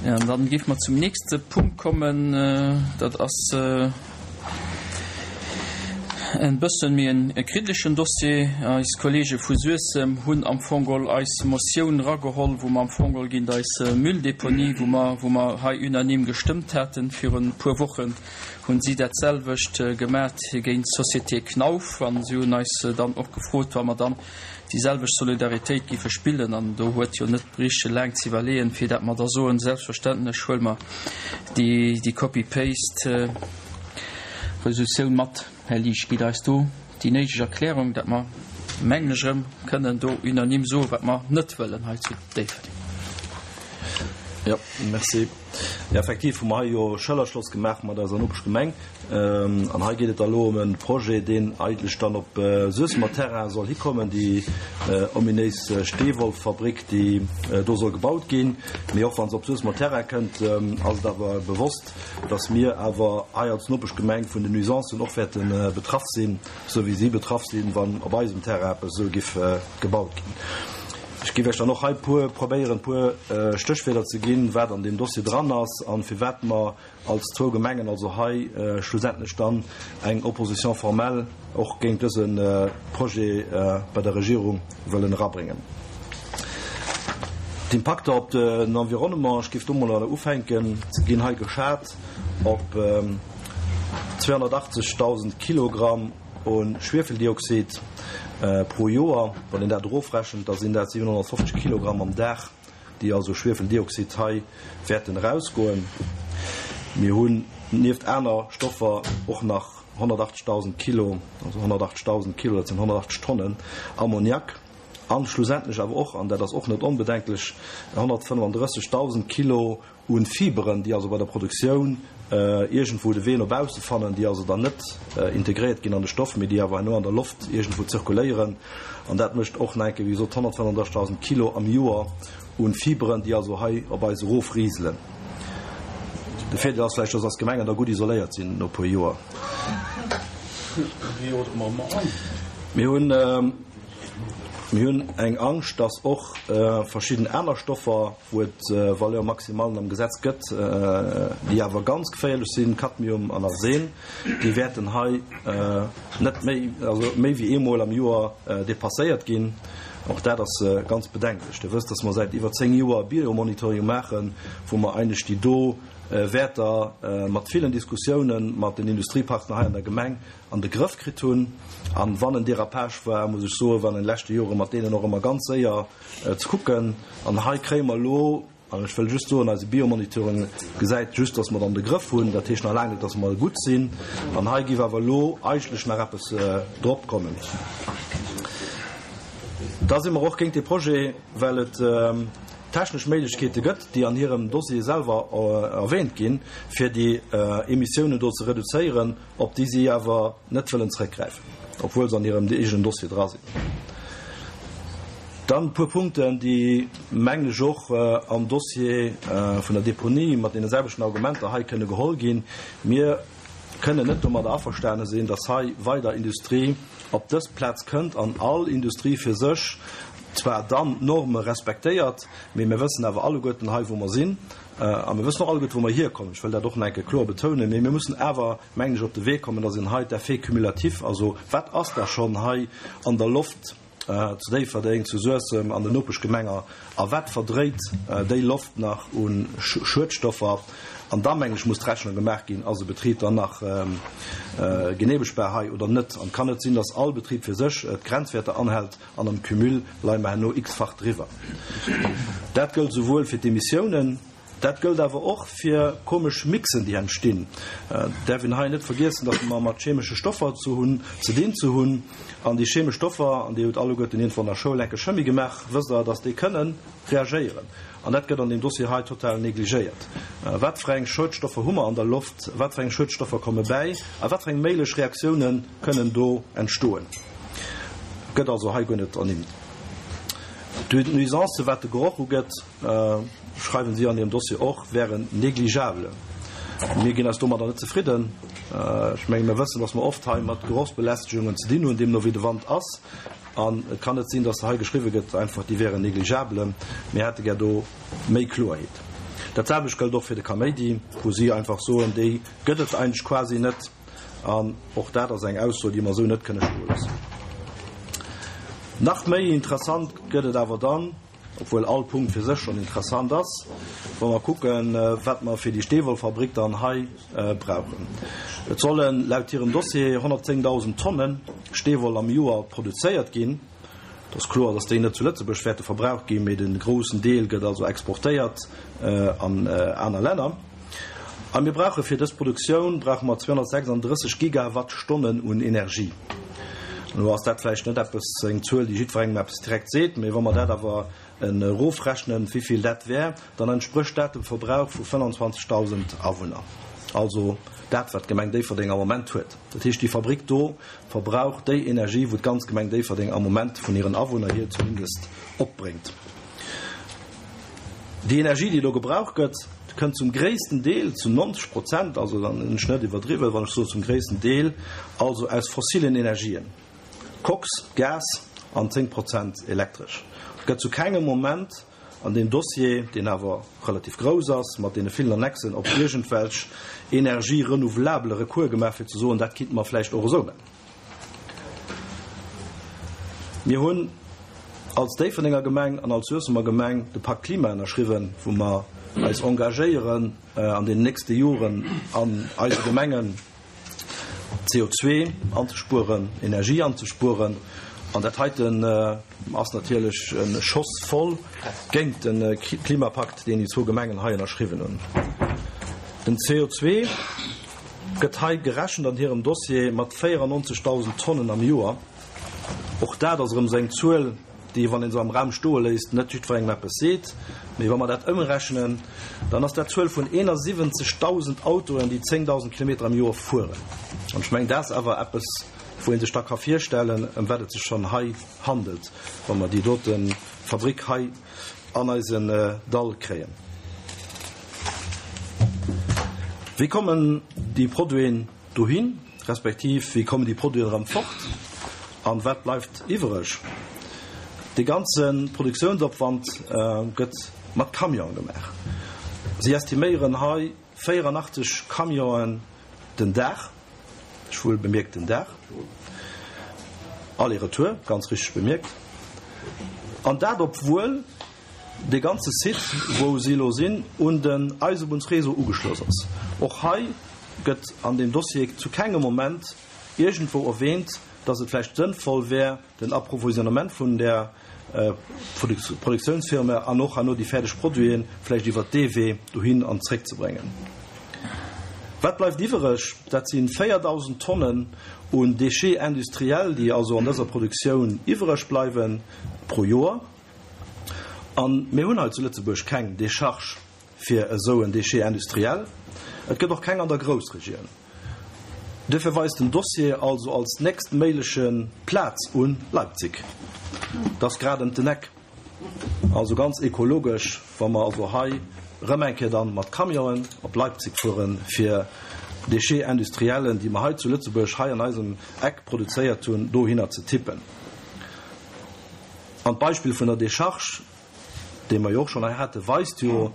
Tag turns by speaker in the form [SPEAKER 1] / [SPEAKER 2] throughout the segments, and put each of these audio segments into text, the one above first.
[SPEAKER 1] An dann géife mer zum nächste Punkt kommen. Dat ass e bëssen méi e kritischen Dossier. Eis Kollege vu Suessem hunn am Fong geholl eis Motioun erageholl, wou mer am Fong geholl géint eis Mülldeponie, wou mer, wou mer hei unanime gestëmmt haten virun e puer Wochen, hunn si dat selwecht gemat géint d'Société Knauf. An si hunn eis dann och gefrot, wa mer dann déi selwecht Solidaritéit géife spillen, an do huet jo net bréiche laang ze iwwerleeën, fir dat mer da soen, selbstverständlech huele mer déi Copy-paste Resolutioun mat. Här Liesch, gitt eis do déi néideg Erklärung, dat mer, mengen ech, erëm kënnen do unanime soen, wat mer net wëllen hei zu Déifferdeng.
[SPEAKER 2] Jo, merci. Jo, effektiv hu mer hei jo Schëllerschloss gemaach mat eiser Nopeschgemeng. An hei geet et da elo ëm e Projet, deen eigentlech dann op Suessemer Terrain soll hikommen, déi ominéis Steewollfabrik, déi do soll gebaut ginn. Mee och wa se op Suessemer Terrain kënnt, ass et awer bewosst, dass mir awer hei als Nopeschgemeng vun den Nuisancen och wäerte betraff sinn, esou wéi si betraff sinn, wann op eisem Terrain eppes esou giff gebaut ginn. Ech géif Iech dann och hei puer, probéieren, puer Stéchwierder ze ginn, wat an deem Dossier dran ass a firwat mer als zwou Gemengen also hei schlussendlech dann eng Opposition formelle och géint dëse Projet bei der Regierung wëllen erabréngen. D'Impakter op den Environnement, ech géif do mol ufänken, ginn hei geschat op 280.000 Kilogramm u Schwiefeldioxid pro Joer. Wann een dat erofrechent, da sinn dat 750 Kilogramm am Dag. déi also Schwiefeldioxid hei wäerten erausgoen. Mir hunn nieft aner Stoffer och nach 180.000 Kilo, also 180.000 Kilo, dat sinn 180 Tonnen Ammoniak an schlussendlech awer och, an dat ass och net onbedenklech, 135.000 Kilo Un Fiberen, déi also bei der Produktioun iergendwou de Wee no bausse fannen, déi also dann net integréiert ginn an de Stoff, mee déi awer herno an der Loft iergendwou zirkuléieren. An dat mécht och nach eng Kéier, wéi gesot, 135.000 Kilo am Joer un Fiberen, déi also hei op eis erofriselen. De Virdeel ass vläicht, dass eis Gemengen da gutt isoléiert sinn no e puer Joer. Mir hunn, mir hunn eng Angscht, dass och verschidden aner Stoffer, wou et Valeurs maximalen am Gesetz gëtt, déi awer ganz geféierlech sinn, Cadmium an Arsen, déi wäerten hei net méi, also méi wéi eemol am Joer dépasséiert ginn. Och dat ass ganz bedenklech. Dir wësst, dass mer säit iwwer 10 Joer Biomonitoring maachen, wou mer eigentlech déi do Wäerter mat villen Diskussiounen mat den Industriepartner hei an der Gemeng an de Grëff kritt hunn. An wann en Dérapage war, muss ech soen, war an de leschte Jore mat deenen och ëmmer ganz séier ze kucken. An hei kréie mer elo, an ech wëll just soen, eise Biomonitoring gesäit just, dass mer et an de Grëff hunn. Dat heescht nach laang net, dass mer gutt sinn. An hei géif awer elo eigentlech nach eppes drop kommen. Da si mer och géint dee Projet, well et technesch Méiglechkeete gëtt, déi an hirem Dossier selwer erwähnt ginn, fir déi Emissiounen do ze reduzéieren. op déi si awer net wëllen zrëckgräifen, obwuel se an hirem eegenen Dossier dra sinn. Dann e puer Punkten, déi, mengen ech, och am Dossier vun der Deponie mat deene selwechten Argumenter hei kënne geholl ginn. Mir kënnen net domadder averstane sinn, dass hei weider Industrie op dës Plaz kënnt an all Industrie fir sech zwar dann d'Norme respektéiert, mee mir wëssen awer alleguerten hei, wou mer sinn, A mir wëssen och alleguerte, wou mer hierkommen. Ech wëll dat och nach eng Kéier kloer betounen. Mee mir mussen awer, mengen ech, op de Wee kommen, dass een hei d'Effets cumulatifs, also wat ass da schonn hei an der Loft zu Déifferdeng, zu Suessem, an den Nopeschgemenger, a wat verdréit déi Loft nach u Schuedstoffer, an da, mengen ech, muss d'Rechnung gemaach ginn, Ass e Betrib dann nach geneemegbar hei oder net? An et kann net sinn, dass all Betrib fir sech d'Grenzwäerter anhält An am Cumul leie mer herno x-fach driwwer. Dat gëllt souwuel fir d'Emissiounen, dat gëllt awer och fir komesch Mixen, déi entstinn. Et däerf een hei net vergiessen, datt mer mat chemesche Stoffer ze hunn, ze dinn ze hunn. An déi chemesch Stoffer, an Dir hutt alleguerten iergendwann an der Schoul enke Chemie gemaach, wësst Der, datt déi kënnen reagéieren. An dat gëtt an deem Dossier hei total negligéiert. Wat fir eng Schuedstoffer hu mer an der Loft? Wat fir eng Schuedstoffer komme bäi? A wat fir eng méiglech Reaktiounen kënnen do entstoen? Gëtt also hei guer net ernimmt. D'Nuisancen, wat de Geroch ugeet, schreiwen si an hirem Dossier och, wären négligeable. Mir ginn eis domadder net zefridden. Ech menge mir wëssen, datt mer oft hei mat Gerochsbelästegungen ze dinn hunn, deemno wéi de Wand ass. An et kann net sinn, datt hei geschriwwe gëtt einfach, déi wären négligeable. Mir hätte gär do méi Kloerheet. Dat selwecht gëllt och fir de Kaméidi, wou si einfach soen, déi gëtt et eigentlech quasi net. An och dat ass eng Ausso, déi mer esou net kënne stoe loossen. Nach méi interessant gëtt et awer dann, obwuel all Punkt fir sech schonn interessant ass, wa mer kucken, wat mer fir déi Steewollfabrik dann hei brauchen. Et solle laut hirem Dossier 110.000 Tonne Steewoll am Joer produzéiert ginn. Et ass kloer, dass déi net zu Lëtzebuerg wäerte verbraucht ginn, mee de groussen Deel gëtt also exportéiert an aner Länner. A mir brauche fir dës Produktioun brauche mer 236 Gigawattstonnen un Energie. Elo ass dat vläicht net eppes, eng Zuel, déi jiddwerengem eppes direkt seet, mee wa mer dat awer erofrechnen, wéivill dat wär, dann entsprécht dat dem Verbrauch vu 25.000 Awunner, also dat, wat d'Gemeng Déifferdeng am Moment huet. Dat heescht, déi Fabrick do verbraucht déi Energie, wou d'ganz Gemeng Déifferdeng am Moment vun hiren Awunner hier zumindest opbréngt. Déi Energie, déi do gebraucht gëtt, kënnt zum gréissten Deel, zu 90 Prozent, also dann hunn ech net iwwerdriwwen, wann ech soen zum gréissten Deel, also aus fossilen Energien, Koks, Gas an 10 Prozent Elektresch. Et gëtt zu kengem Moment an deem Dossier, deen awer relativ grouss ass, mat deene villen Annexen, op iergendwelch Énergies renouvelables Recours gemaach, fir ze soen, dat kinnte mer vläicht och esou nennen. Mir hunn als Déifferdenger Gemeng an als Suessemer Gemeng de Pakt Klima ënnerschriwwen, wou mer eis engagéieren, an den nächste Joren an eise Gemengen CO2 anzespueren, Energie anzespueren. An dat heiten ass natierlech e Schoss voll géint de Klimapakt, deen déi zwou Gemengen hei ënnerschriwwen hunn. Den CO2 gëtt hei gerechent an hirem Dossier mat 94.000 Tonnen am Joer. Och dat ass erëm esou eng Zuel, déi, wann ee se am Raum stoe léisst, net jiddwerengem eppes seet. Mee wa mer dat ëmrechnen, dann ass dat d'Zuel vun 71.000 Autoen, déi 10.000 Kilometer am Joer fueren. An ech mengen, dat ass awer eppes, wou ee sech da ka virstellen, ëm wat et sech schonn hei handelt, wa mer déi dote Fabrick hei an eisen Dall kréien. Wéi kommen déi Produiten dohin, respektiv wéi kommen déi Produiten erëm fort an wat bleift iwwereg? Dee ganze Produktiounsopwand gëtt mat Camione gemaach. Si estiméieren hei 84 Camionen den Dag, ech wuel bemierkt den Dag, aller-retour, ganz richteg bemierkt, an dat obwuel dee ganze Site, wou si elo sinn, un den Eisebunnsréseau ugeschloss ass. Och hei gëtt an deem Dossier zu kengem Moment iergendwou erwähnt, dass et vläicht sënnvoll wär, den Approvisionnement vun där Produktiounsfirma an och herno déi fäerdeg Produiten vläicht iwwert dee Wee dohin an zréckzebréngen. Wat bleift iwwereg? Dat si 4.000 Tonnen un Déchets industriels, déi also an dëser Produktioun iwwereg bleiwe pro Joer. A mir hunn hei zu Lëtzebuerg keng Décharge fir esou en Déchet industriel. Et gëtt och keng an der Groussregioun. Duerfir weist den Dossier also als nächst méigleche Plaz un Leipzig. Dat ass grad ëm den Eck. Also ganz ekologesch, wa mer also hei erëm eng Kéier dann mat Camionen op Leipzig fueren, fir Déchets industriellen, déi mer hei zu Lëtzebuerg, hei an eisem Eck produzéiert hunn, dohinner ze tippen. An d'Beispill vun der Décharge, dee mer jo och schonn hei haten, weist jo,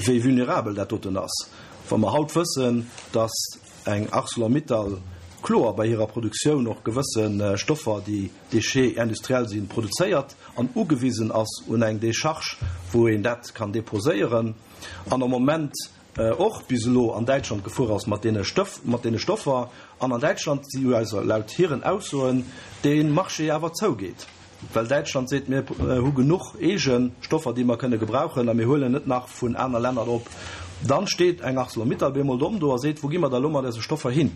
[SPEAKER 2] wéi vulnerabel dat doten ass. Wa mer haut wëssen, dass eng Arcelor-Mittal kloer bei hirer Produktioun och gewësse Stoffer, déi Déchets industriels sinn, produzéiert an ugewisen ass un eng Décharge, wou een dat kann déposéieren, an am Moment och bis elo an Däitschland gefuer ass mat deene Stëff, mat deene Stoffer, an an Däitschland si jo also laut hiren Aussoen dee Marché awer zougeet, well Däitschland seet, mir hu genuch eege Stoffer, déi mer kënne gebrauchen a mir huelen net nach vun aner Länner op, dann steet eng Arcelor-Mittal bemol domm do a seet, wou gi mer da elo mat eise Stoffer hin?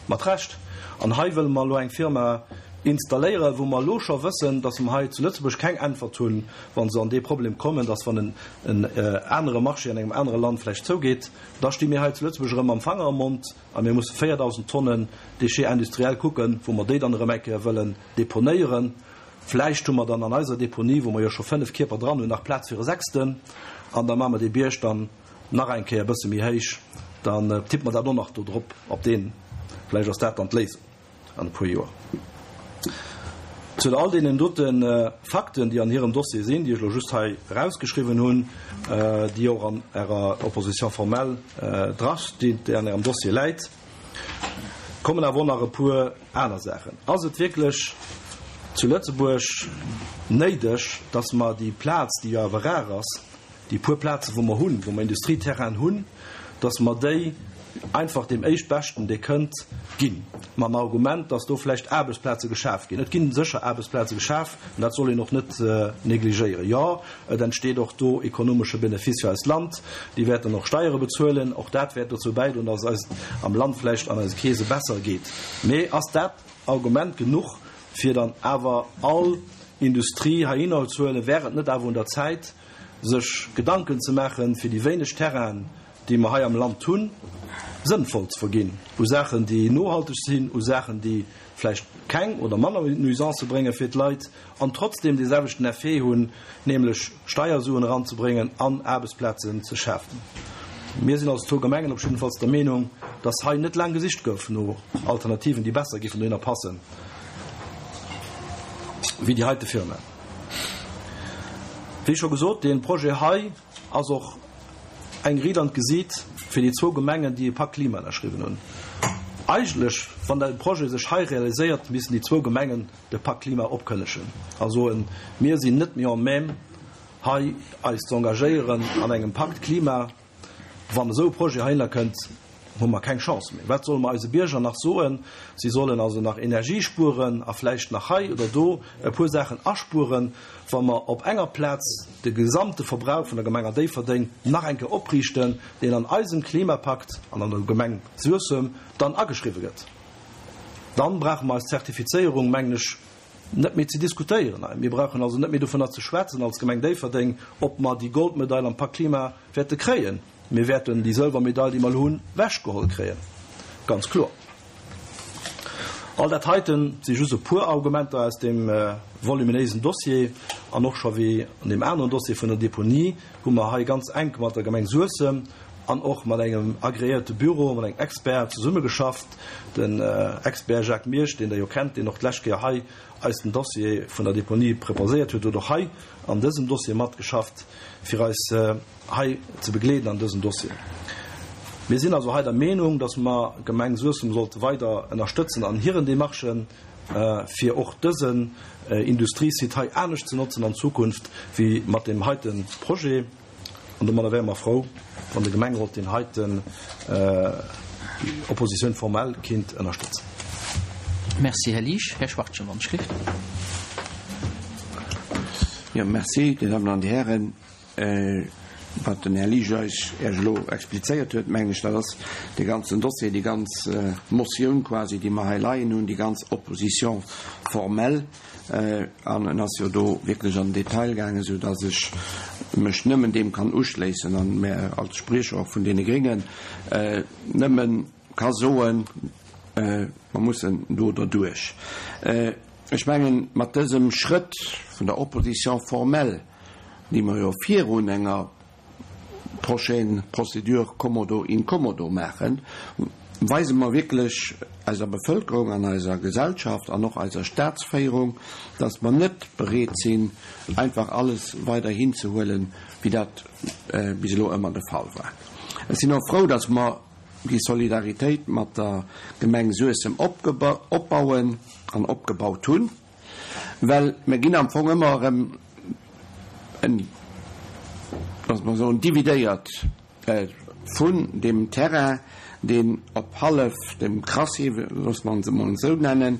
[SPEAKER 2] Mat Recht. An hei wëlle mer elo eng Firma installéieren, wou mer elo scho wëssen, dass mer hei zu Lëtzebuerg keng Äntwert hunn, wa se an dee Problem kommen, dass wann en anere Marché an engem anere Land vläicht zougeet, da sti mir hei zu Lëtzebuerg erëm mam Fanger am Mond a mir musse 4.000 Tonnen Déchets industriels kucken, wou mer déi dann erëm eng Kéier wëllen deponéieren. Vläicht hu mer dann an eiser Deponie, wou mer jo scho fënnf Kierper dran hunn, nach Plaz fir e sechsten an da maache mer dee Bierg dann nach eng Kéier e bësse méi héich, dann tippe mer dat och nach do drop op deen. Vläicht ass dat dann d'Léisung an e puer Joer. Zu all deenen dote Fakten, déi an hirem Dossier sinn, déi ech elo just hei erausgeschriwwen hunn, déi och an Ärer Opposition formelle drastinn, déi an Ärem Dossier läit, kommen awer och nach e puer aner Saachen. Ass et wierklech zu Lëtzebuerg néideg, dass mer déi Plaz, déi jo awer rar ass, déi puer Plazen, wou mer hunn, wou mer Industrieterrainen hunn, dass mer déi einfach deem Éischtbeschten, dee kënnt, ginn, mam Argument, dass do vläicht Aarbechtsplaze geschaf ginn. Et gi sécher Aarbechtsplaze geschaf, an dat soll een och net negligéieren. Jo, et entsteet och do ekonomesche Benefice fir eist Land. Déi wäerten och Steiere bezuelen. Och dat wäert dozou bäidroen, dass et eis am Land vläicht an eise Keese besser geet. Mee ass dat Argument genuch, fir dann awer all Industrie heihinner ze huelen? Wär et net awer un der Zäit, sech Gedanken ze maachen, fir déi wéineg Terrainen, déi mer hei am Land hunn, sënnvoll ze verginn u Saachen, déi nohalteg sinn, u Saachen, déi vläicht keng oder manner Nuisancë brénge fir d'Leit an trotzdeem dee selwechten Effet hunn, nämlech Steiersuen eranzebréngen an Aarbechtsplazen ze schafen. Mir sinn als zwou Gemengen op jiddefalls der Meenung, dass hei net laang gesicht gouf no Alternativen, déi besser géifen dohinner passen wéi déi heite Firma. Wéi scho gesot, dee Projet hei ass och eng Ried an d'Gesiit fir déi zwou Gemengen, déi e Pakt Klima ënnerschriwwen hunn. Eigentlech, wann de Projet sech hei realiséiert, missten déi zwou Gemengen de Pakt Klima opkënnegen a soen, Mir sinn net méi en même hei eis z'engagéieren an engem Pakt Klima. Wann esou e Projet heihinner kënnt, hu mer keng Chance méi. Wat solle mer eise Bierger nach soen? Si sollen also nach Energie spueren a vläicht nach hei oder do e puer Saachen aspueren, wa mer op enger Plaz de gesamte Verbrauch vun der Gemeng Déifferdeng nach eng Kéier opriichten, deen an eisem Klimapakt an an der Gemeng Suessem dann ageschriwwe gëtt. Dann brauche mer eis Zertifizéierung, mengen ech, net méi ze diskutéieren hei. Mir brauchen also net méi dovunner ze schwätzen als Gemeng Déifferdeng, ob mer déi Goldmedail am Pakt Klima wäerte kréien. Mir wäerten déi Sëlwermedail, déi mer elo hunn, wechgeholl kréien, ganz kloer. All dat heiten si just e puer Argumenter aus deem voluminéisen Dossier. An och scho wéi an deem aneren Dossier vun der Deponie hu mer hei ganz enk mat der Gemeng Suessem an och mat engem agreéierte Büro, mat engem Expert zesummegeschafft, den Expert Jacques Miersch, deen Der jo kennt, deen och d'lescht Kéier hei eis den Dossier vun der Deponie preparéiert huet, huet och hei an dësem Dossier matgeschafft, fir eis hei ze begleeden an dësem Dossier. Mir sinn also hei der Meenung, dass mer d'Gemeng Suessem sollte weider ënnerstëtzen an hiren Démarchen, fir och dësen Industriesite hei anescht ze notzen an Zukunft wéi mat deem heite Projet. An domadder wäre mer frou, wann de Gemengerot deen heiten Opposition formelle kinnt ënnerstëtzen.
[SPEAKER 1] Merci, Här Liesch. Här Schwachtgen, wann ech gleeft.
[SPEAKER 3] Jo, merci, Dir Dammen an Dir Hären. Wat den Här Liesch eis Iech elo explizéiert huet, mengen ech, dat ass dee ganzen Dossier, déi ganz Motioun quasi, déi mer hei leien hunn, déi ganz Opposition formelle. An en ass jo do wierklech an den Detail gaangen, esou dass ech mech nëmmen deem kann uschléissen an mär als Spriecher och vun deene Gréngen nëmme ka soen, mer mussen do derduerch. Ech mengen, mat dësem Schrëtt vun der Opposition formelle, déi mer jo virun enger prochaine procédure commodo incommodo maachen, weise mer wierklech eiser Bevölkerung an eiser Gesellschaft an och eiser Statsféierung, dass mer net bereet sinn, einfach alles weider hinzehuelen, wéi dat bis elo ëmmer de Fall war. Ech sinn och frou, dass mer déi Solidaritéit mat der Gemeng Suessem opbauen an opgebaut hunn. Well mir ginn am Fong ëmmer erëm, loosse mer soen, dividéiert vun deem Terrain, deen op hallef dem Crassier, loosse mer en emol esou nennen,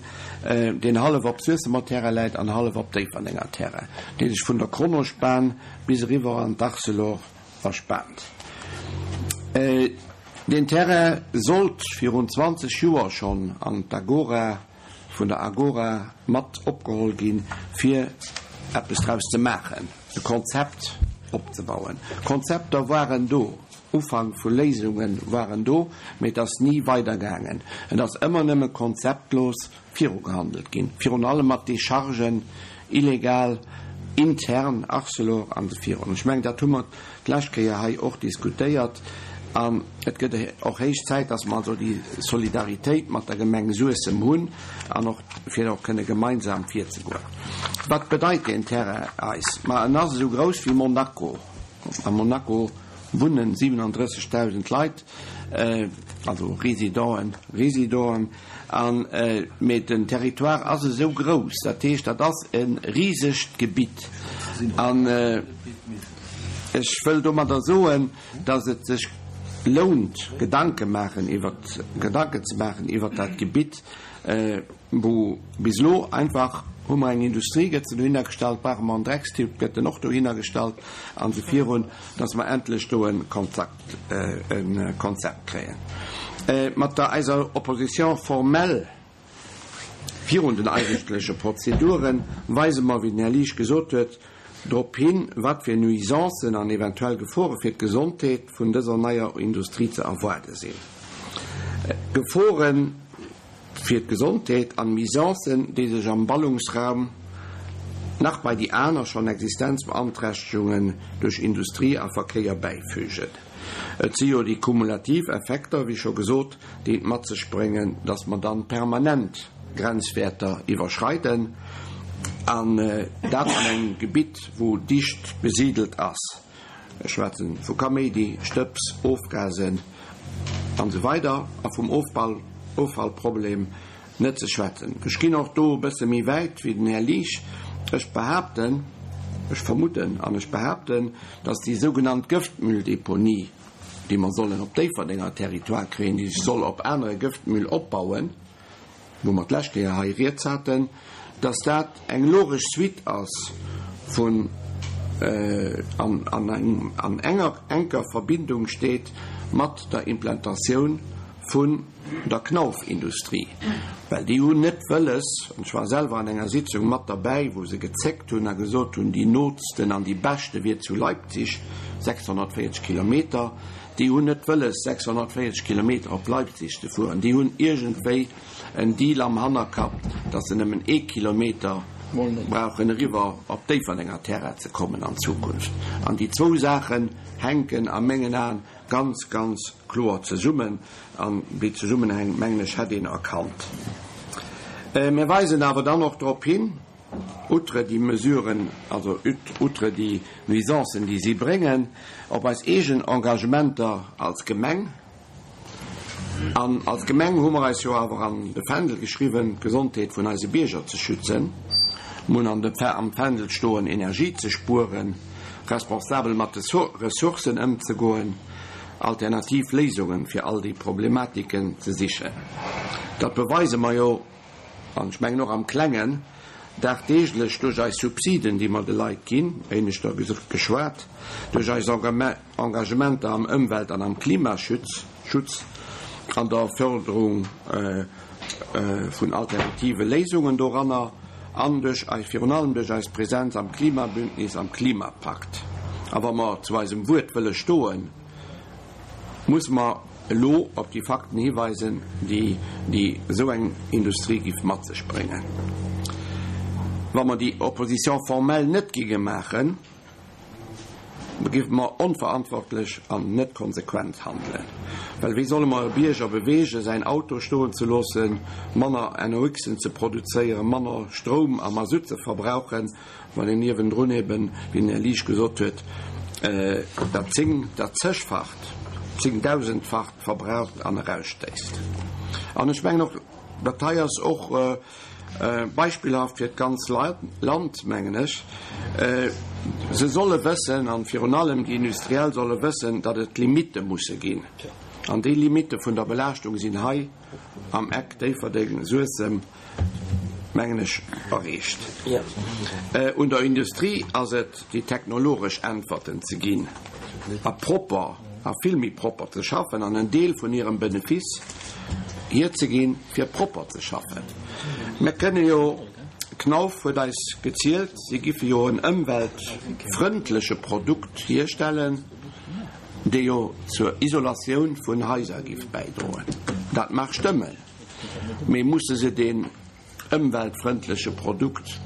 [SPEAKER 3] deen hallef op Suessemer Terrain läit an hallef op Déifferdenger Terrain, dee sech vun der Kronospan bis eriwwer an d'Arcelor erspaant. Deen Terrain sollt virun 20 Joer schonn an d'Agora vun der Agora mat opgeholl ginn, fir eppes draus ze maachen, e Konzept opzebauen. Konzepter waren do, Ufank vu Léisunge waren do, mee et ass ni weidergaangen. Et ass ëmmer nëmme konzeptlos virugehandelt ginn, virun allem mat Dechargen, illegal, intern, Arcelor an esou virun. Ech mengen, dat hu mer d'lescht Kéier hei och diskutéiert. An et gëtt och héich Zäit, dass mer also déi Solidaritéit mat der Gemeng Suessem hunn an och fir och kënne gemeinsam virzegoen. Wat bedeit deen Terrain eis? Ma en ass esou grouss wéi Monaco. A Monaco wunnen 37.000 Leit, also Résidenten, Résidenten, an, mee den Territoire ass esou grouss, dat heescht, dat ass e risegt Gebitt. An ech wëll domadder soen, dass et sech lount, Gedanke maachen iwwert, Gedanken ze maachen iwwert dat Gebitt, wou bis elo einfach, hu mer eng Industrie, gëtt se dohinner gestallt, brauche mer en Dreckstipp, gëtt en och dohinner gestallt, an esou virun, dass mer endlech do e Konzept, e Konzept kréien. Mat der eiser Opposition formelle virun den eigentleche Prozedure weise mer, wéi den Här Liesch gesot huet, drop hin, wat fir Nuisancen an eventuell Gefore fir d'Gesondheet vun dëser neier Industrie ze erwaarde sinn. Geforen fir d'Gesondheet an Nuisancen, déi sech am Ballungsraum nach bei déi aner schonn Existenzbeanträchtegungen duerch Industrie a Verkéier bäifügen. Et si jo déi kumulativ Effekter, wéi scho gesot, déi et mat sech bréngen, dass mer dann permanent Grenzwäerter iwwerschreiden, an dat an engem Gebitt, wou dicht besidelt ass. Ech schwätzen vu Kaméidi, Stëbs, Ofgasen an esou weider a vum Offallproblem net ze schwätzen. Ech ginn och do e bësse méi wäit wéi den Här Liesch. Ech behaapten, ech vermuten an ech behaapten, dass déi sougenannt Gëftmülldeponie, déi mer sollen op Déifferdenger Territoire kréien, déi sech soll op anere Gëftmüll opbauen, wou mer d'lescht Kéier hei rieds haten, dass dat eng logesch Suite ass vun an an enger enker Verbindung steet mat der Implantatioun vun der Knauf-Industrie, well déi hunn net wëlles, an ech war selwer an enger Sitzung mat derbäi, wou se gezéckt hunn a gesot hunn, déi nootsten an déi beschte wier zu Leipzig, 640 Kilometer, déi hunn net wëlles 640 Kilometer op Leipzig ze fueren, déi hunn iergendwéi en Deal am Hannerkapp, datt se nëmmen ee Kilometer brauchen eriwwer op Déifferdenger Terrain ze kommen an Zukunft. An déi zwou Saachen hänken a mengen Aen ganz, ganz kloer zesummen. An déi Zesummenhäng, mengen ech, hätt een erkannt. Mir weisen awer dann och drop hin, outre déi Mesuren, also outre déi Nuisancen, déi si bréngen, op eis eegen Engagementer als Gemeng. An als Gemeng hu mer eis jo awer an de Fändel geschriwwen, d'Gesondheet vun eise Bierger ze schützen. Mir hunn an de, am Fändel stoen, Energie ze spueren, responsabel mat de Ressourcen ëmzegoen, alternativ Léisungen fir all déi Problematiken ze sichen. Dat beweise mer jo, an ech mengen och am Klengen, dagdeeglech duerch eis Subsiden, déi mer de Leit ginn, éineschter geschwat, duerch eis Engagementer am Ëmwelt an am Klimaschutz an der Förderung vun alternative Léisungen doranner an duerch eis, virun allem duerch eis Präsenz am Klimabündnis, am Klimapakt. A wa mer zu eisem Wuert wëlle stoen, muss mer elo op déi Fakten hiweisen, déi déi esou eng Industrie giff mat sech bréngen. Wa mer déi Opposition formelle net géinge maachen, da géife mer onverantwortlech an net konsequent handelen. Well wéi solle mer e Bierger beweegen, säin Auto stoen ze loossen, manner NOxen ze produzéieren, manner Stroum a Masutt ze verbrauchen, wann een niewendrun eben, wéi den Här Liesch gesot huet, dat zéng-, dat zegfacht, zéngdausendfacht verbraucht an erausstéisst? An ech mengen och, dat hei ass och Beispillhaft fir d'ganz Land, mengen ech. Se solle wëssen, an virun allem déi Industriell solle wëssen, datt et Limitte musse ginn. An déi Limitte vun der Belaaschtung sinn hei am Eck Déifferdeng-Suessem, mengen ech, erreecht. Un der Industrie ass et, déi technologesch Äntwerten ze ginn a propper a vill méi propper ze schaffen an en Deel vun hirem Benefice hierzeginn, fir propper ze schaffen. Mir kënne jo, Knauf huet eis gezielt, si giffe jo en ëmweltfrëndleche Produkt hierstellen, dee jo zur Isolatioun vun Haiser giff bäidroen. Dat mag stëmmen, mee musse se deen ëmweltfrëndleche Produkt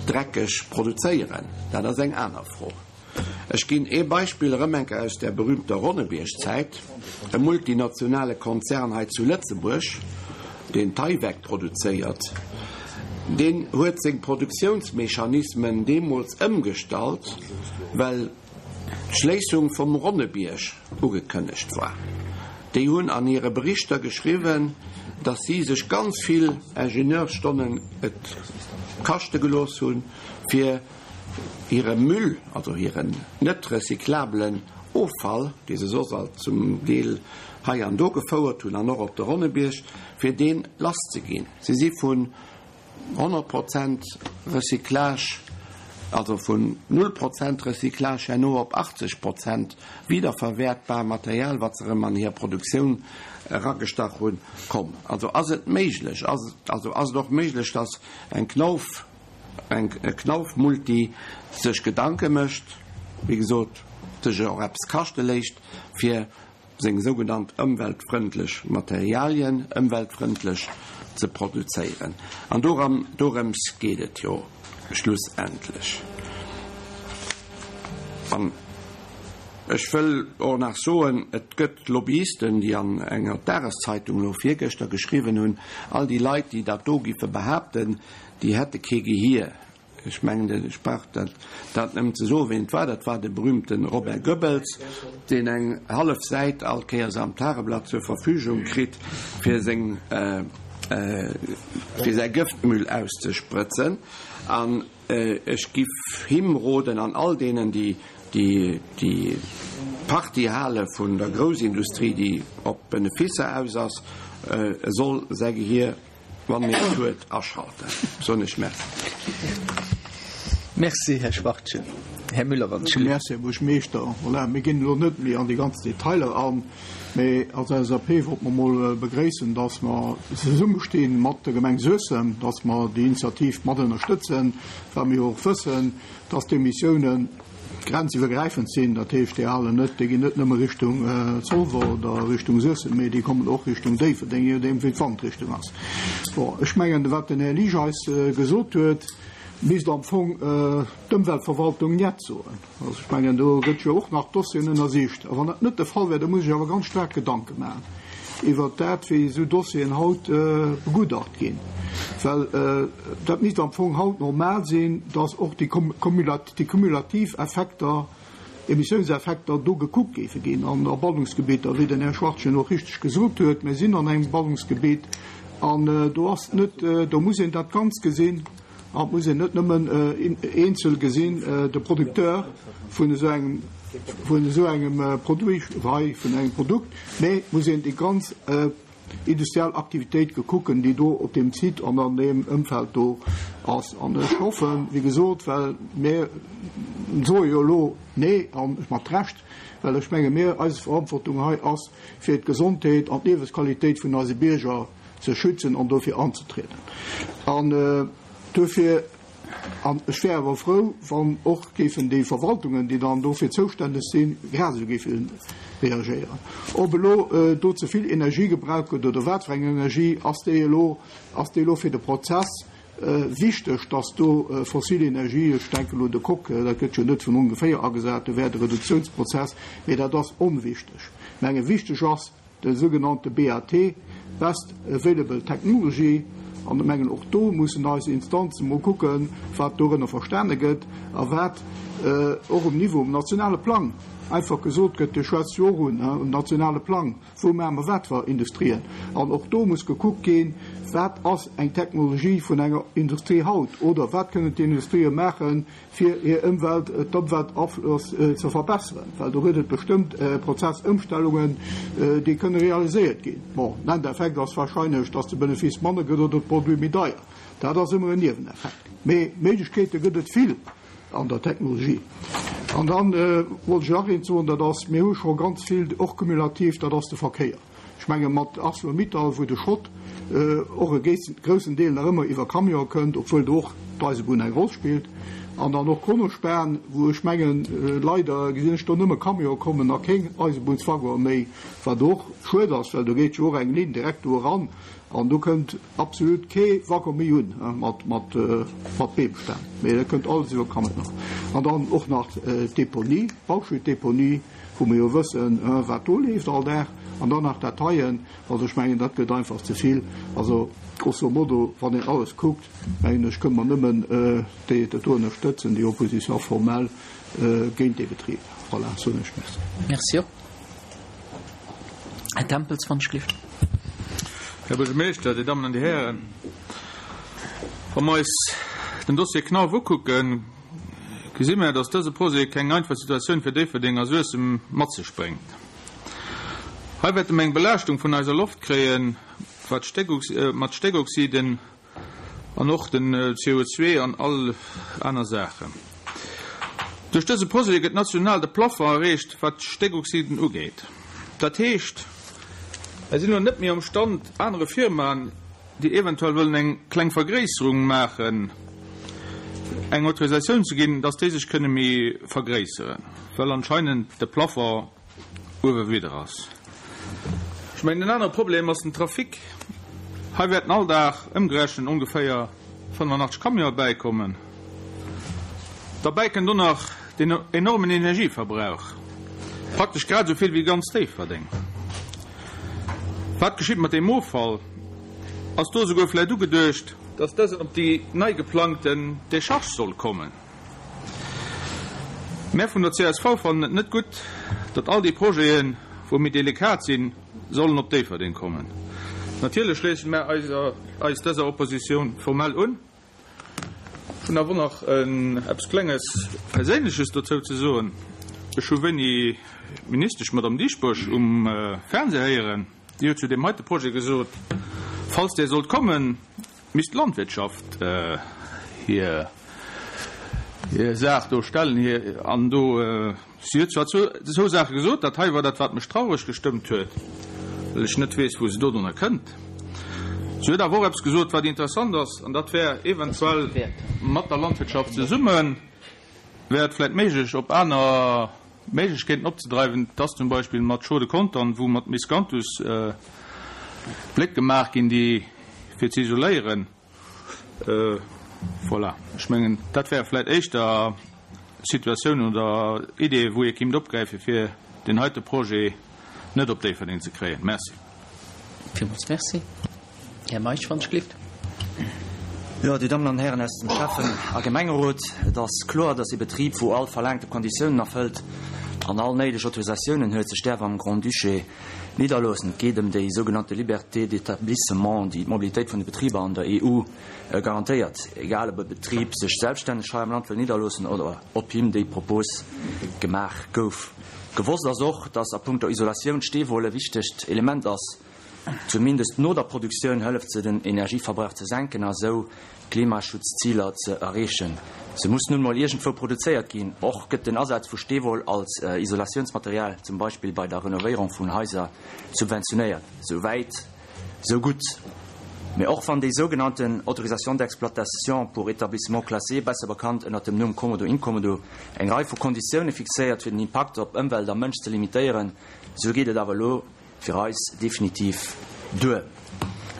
[SPEAKER 3] dreckeg produzéieren? Dat ass eng aner Fro. Ech ginn ee Beispill erëm eng Kéier aus där berühmter Ronnebierg-Zäit, E multinationale Konzern hei zu Lëtzebuerg, deen Tyvek produzéiert, deen huet seng Produktiounsmechanismen deemools ëmgestallt, well d'Schléissung vum Ronnebierg ugekënnegt war. Déi hunn an hire Berichter geschriwwen, datt si sech ganz vill Ingenieursstonnen et kaschte gelooss hunn, fir hire Müll, also hiren net recyclabelen Offall, dee se soss alt zum Deel hei an do gefouert hunn an och op de Ronnebierg, fir dee lasszeginn. Si si vun 100 Prozent Recyclage, also vun null Prozent Recyclage herno op 80 Prozent wiederverwertbar Material, wat se erëm an hir Produktioun eragestach hunn, komm. Also ass et méiglech, ass, also ass et och méiglech, dass eng Knauf, eng Knauf-Multi sech Gedanke mécht, wéi gesot, sech och eppes kaschte léisst, fir seng sougenannt ëmweltfrëndlech Materialien ëmweltfrëndlech ze produzéieren. An doran, dorëms geet et jo schlussendlech. An ech wëll och nach soen, et gëtt Lobbyisten, déi an enger Dageszeitung elo virgëschter geschriwwen hunn, all déi Leit, déi dat do giffe behaapten, Déi hätte kee Gehier. Ech mengen, ech brauch dat dat nëmmen ze soen, ween et war. Dat war de berühmte Robert Goebbels, deen eng hallef Säit all Kéiers am Tageblatt zur Verfügung kritt, fir seng, fir säi Gëftmüll auszesprëtzen. An ech giff him roden an all deenen, déi déi déi Partie hale vun der Groussindustrie, déi op Beneficer aus ass, e soll säi Gehier, Wann een et huet, aschalten, soen ech Merci.
[SPEAKER 4] Merci, Här Schwachtgen. Här Müller, wann ech.
[SPEAKER 5] Merci, Här Buergermeeschter. Voilà, mir ginn elo net méi an déi ganz Detailer an, mee als LSAP wollte mer emol begréissen, dass mer zesummesti mat der Gemeng Suessem, dass mer déi Initiativ mat ënnerstëtzen, well mir jo och wëssen, dass d'Emissiounen, grenziwwergräifend sinn, dat heescht, déi halen net, déi ginn net nëmme Richtung Zolwer oder Richtung Suessem, mee déi kommen och Richtung Déifferdeng, je nodeem wéi d'Wandrichtung ass. Bon, ech mengen, wat den Här Liesch eis gesot huet, misst am Fong d'Ëmweltverwaltung Njet soen. Also ech mengen, do gëtt jo och nach Dossieren ënnersicht. A wann dat net de Fall wär, da muss ech awer ganz staark Gedanke maachen iwwert dat, wéi esou Dossieren haut begutacht ginn, well dat misst am Fong haut normal sinn, dass och déi déi kumulativ Effekter, Emissiounseffekter do gekuckt géife ginn an a Ballungsgebieter, wéi den Här Schwachtgen och richteg gesot huet. Mir sinn an engem Ballungsgebiet an do ass net, do muss een dat Ganzt gesinn an et muss een net nëmmen eenzel gesinn, de Producteur vun esou engem, vun esou engem Produit, hei vun engem Produkt, mä et muss een déi ganz industriell Aktivitéit gekucken, déi do op deem Site an an deem Ëmfeld do ass. An ech hoffen, wéi gesot, well mir soe jo elo Nee, a mat Recht, well ech menge mir, eis Verantwortung hei ass, fir d'Gesondheet an d'Liewesqualitéit vun eise Bierger ze schützen an dofir anzetrieden. An duerfir. An ech wär awer frou, wann och géifen déi Verwaltungen, déi dann dofir zoustänneg sinn, grad esou géife reagéieren. Ob elo do ze vill Energie gebraucht gëtt oder wat fir eng Energie, ass déi elo, ass déi elo fir de Prozess wichteg, dass do fossil Energie, ech denken elo un de Coke, dat gëtt jo net vun ongeféier agesat, do wär de Reduktiounsprozess, mee dat ass onwichteg. Ech menge wichteg ass, de sougenannte BAT, Best Available Technology, an ech mengen och do mussen eis Instanzen mol kucken, wat dorënner verstane gëtt a wat och um Niveau, um nationale Plang einfach gesot gëtt, Dir schwätzt jo och un, um nationale Plang, wou maache mer wat fir Industrien? An och do muss gekuckt ginn, wat ass eng Technologie vun enger Industrie haut oder wat kënnen d'Industrië maachen, fir hir Ëmwelt, d'Ëmweltaflëss ze verbesseren, well do gëtt et bestëmmt Prozessëmstellungen, déi kënne realiséiert ginn. Bon, den Endeffekt ass wahrscheinlech, dass de Benefice manner gëtt oder de Produit méi deier. Dat ass ëmmer en Nieweneffekt. Mee Méiglechkeete gëtt et vill an der Technologie. An da wollt ech nach eent soen, dat ass, mir hu scho ganz vill, och cumulativ, dat ass de Verkéier. Ech menge mat Arcelor-Mittal, wou de Schrott och e groussen Deel nach ëmmer iwwer Camion kënnt, obwuel do och d'Eisebunn eng Roll spillt, an dann och Kronospan, wou ech mengen, leider gesinn ech do nëmme Camione kommen a kéng Eisebunnswaggonen méi, wat och schued ass, well do geet jo och eng Linn direkt do eran. An do kënnt absolut kee Waggon méi un mat Beemstämm, mee dat kënnt alles iwwer Camion. An dann och nach d'Deponie, d'Bauschuttdeponie, wou mir jo wëssen, wat do leeft all Dag. An dann nach dat heien. Also ech mengen, dat gëtt einfach ze vill. Also grosso modo, wann een alles kuckt, mengen ech, kënne mer nëmmen déi dat do ënnerstëtzen, déi Opposition formelle géint dee Betrib. Voilà, soen ech Merci.
[SPEAKER 4] Merci och. Här Tempels, wann ech gelift.
[SPEAKER 6] Här Buergermeeschter, Dir Dammen an Dir Hären, wa mer eis den Dossier Knauf ukucken, gesi mer, dass dëse Projet keng einfach Situatioun fir Déifferdeng a Suessem mat sech bréngt. Hei wäerte mer eng Belaaschtung vun eiser Loft kréien, wat mat Stéckoxiden an och den CO2 an all aner Saachen. Duerch dëse Projet gëtt national de Plafond erreecht, wat d'Stéckoxiden ugeet. Dat heescht, mer sinn elo net méi am Stand, anere Firmaen, déi eventuell wëllen eng kleng Vergréisserung maachen, eng Autorisatioun ze ginn, dass déi sech kënne méi vergréisseren, well anscheinend de Plafond uewe widder ass. Ech mengen, en anere Problem ass den Trafic. Hei wäerten all Dag ëmgerechent ongeféier 85 Camionë bäikommen. Derbäi kënnt och nach den enormen Energieverbrauch, praktesch grad esou vill wéi ganz Déifferdeng. Wat geschitt mat deem Offall? Ass do esouguer vläicht ugeduecht, dass dësen op déi nei geplangten Decharge soll kommen? Mär vun der csv fannen et net gutt, datt all déi Projeten, wou méi delikat sinn, sollen op Déifferdeng kommen. Natierlech schléissen mär eis dëser Opposition formelle un. Ech hunn awer och nach eppes klenges Perséinleches dozou ze soen. Ech hu wéini d'Ministesch, d'Madame Dieschbourg, um Fernseh héieren, déi huet zu deem heite Projet gesot, falls dee sollt kommen, misst d'Landwirtschaft hir Saach do stellen, hir an do. Si huet zwar zwou Saache gesot, dat hei war dat, wat mech traureg gestëmmt huet, well ech net weess, wou se dodrunner kënnt. Si huet awer och eppes gesot, wat interessant ass, an dat wär eventuell mat der Landwirtschaft zesumme wär et vläicht méiglech, op aner Méiglechkeeten opzedreiwen, dass zum Beispill mat Chaux de Contern, wou mat Miscanthus Bléck gemaach ginn, déi fir ze isoléieren. Voilà, ech mengen, dat wäre vläicht éischter Situatiounen oder Ideeën, wou ee kéint opgräifen, fir deen heite Projet net op Déifferdeng ze kréien. Merci.
[SPEAKER 4] Villmools merci. Här Meisch, wann ech gelift.
[SPEAKER 7] Jo, Dir Dammen an Hären aus dem Schäffen a Gemengerot, et ass kloer, dass ee Betrib, wou all verlaangte Konditiounen erfëllt an all néideg Autorisatiounen huet, sech däerf am Grand-Duché Nidderloossen. Et geet ëm déi sougenannte Liberté d'établissement, déi d'Mobilitéit vun de Betriber an der EU garantéiert, egal ob e Betrib sech selbststänneg hei am Land wëll nidderloossen oder ob him déi Propos gemaach gouf. Gewosst ass och, dass a punkto Isolatioun d'Steewoll e wichtegt Element ass. Zumindest no der Produktioun hëlleft se den Energieverbrauch ze senken a sou d'Klimaschutzziler ze erreechen. Se muss nun mol iergendwou produzéiert ginn. Och gëtt den Asaz vu Steewoll als Isolatiounsmaterial, zum Beispill bei der Renovéierung vun Haiser, subventionéiert. Sou wäit, sou gutt. Mee och wann déi sougenannten Autorisation d'exploitation pour établissement classé, besser bekannt ënnert dem Numm Kommodo-Inkommodo, eng Rei vu Konditioune fixéiert, fir den Impakt op Ëmwelt a Mënsch ze limitéieren, sou geet et awer elo fir eis definitiv duer.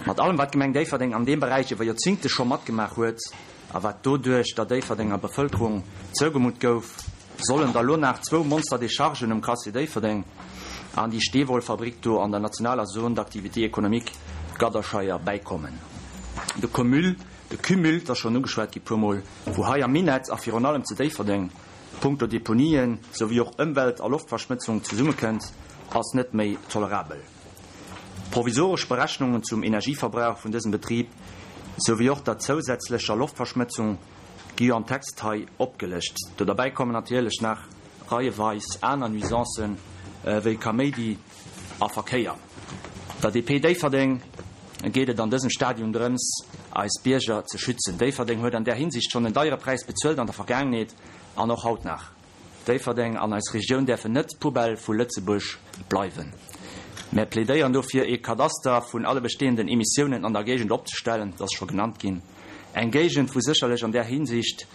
[SPEAKER 7] Mat allem wat d'Gemeng Déifferdeng an deem Beräich iwwer Joerzingte scho matgemaach huet a wat doduerch der Déifferdenger Bevëlkerung zougemutt gouf, sollen da lo nach zwou Monster-Dechargen um Crassier Déifferdeng an déi Steewollfabrik do an der nationaler Zone d'activité économique Gadderscheier bäikommen. De Cumul, de Cumul, 't ass schonn ugeschwat gi puermol, wou hei am Minett a virun allem zu Déifferdeng punkto Deponien souwéi och Ëmwelt a Loftverschmëtzung zesummekënnt, ass net méi tolerabel. Provisoresch Berechnungen zum Energieverbrauch vun dësem Betrib souwéi och der zousätzlecher Loftverschmëtzung gi jo am Text hei opgelëscht. Do derbäi kommen natierlech nach reieweis aner Nuisancen wéi Kaméidi a Verkéier. Der DP Déifferdeng geet et an dësem Stadium drëms, eis Bierger ze schützen. Déifferdeng huet an där Hinsicht schonn en deiere Präis bezuelt an der Vergaangenheet an och haut nach. Déifferdeng an eis Regioun däerfen net d'Poubelle vu Lëtzebuerg bleiwen. Mär plädéieren dofir, ee Kadaster vun alle bestehenden Emissiounen an der Géigend opzestellen, dat ass scho genannt ginn, eng Géigend, wou sécherlech an där Hinsicht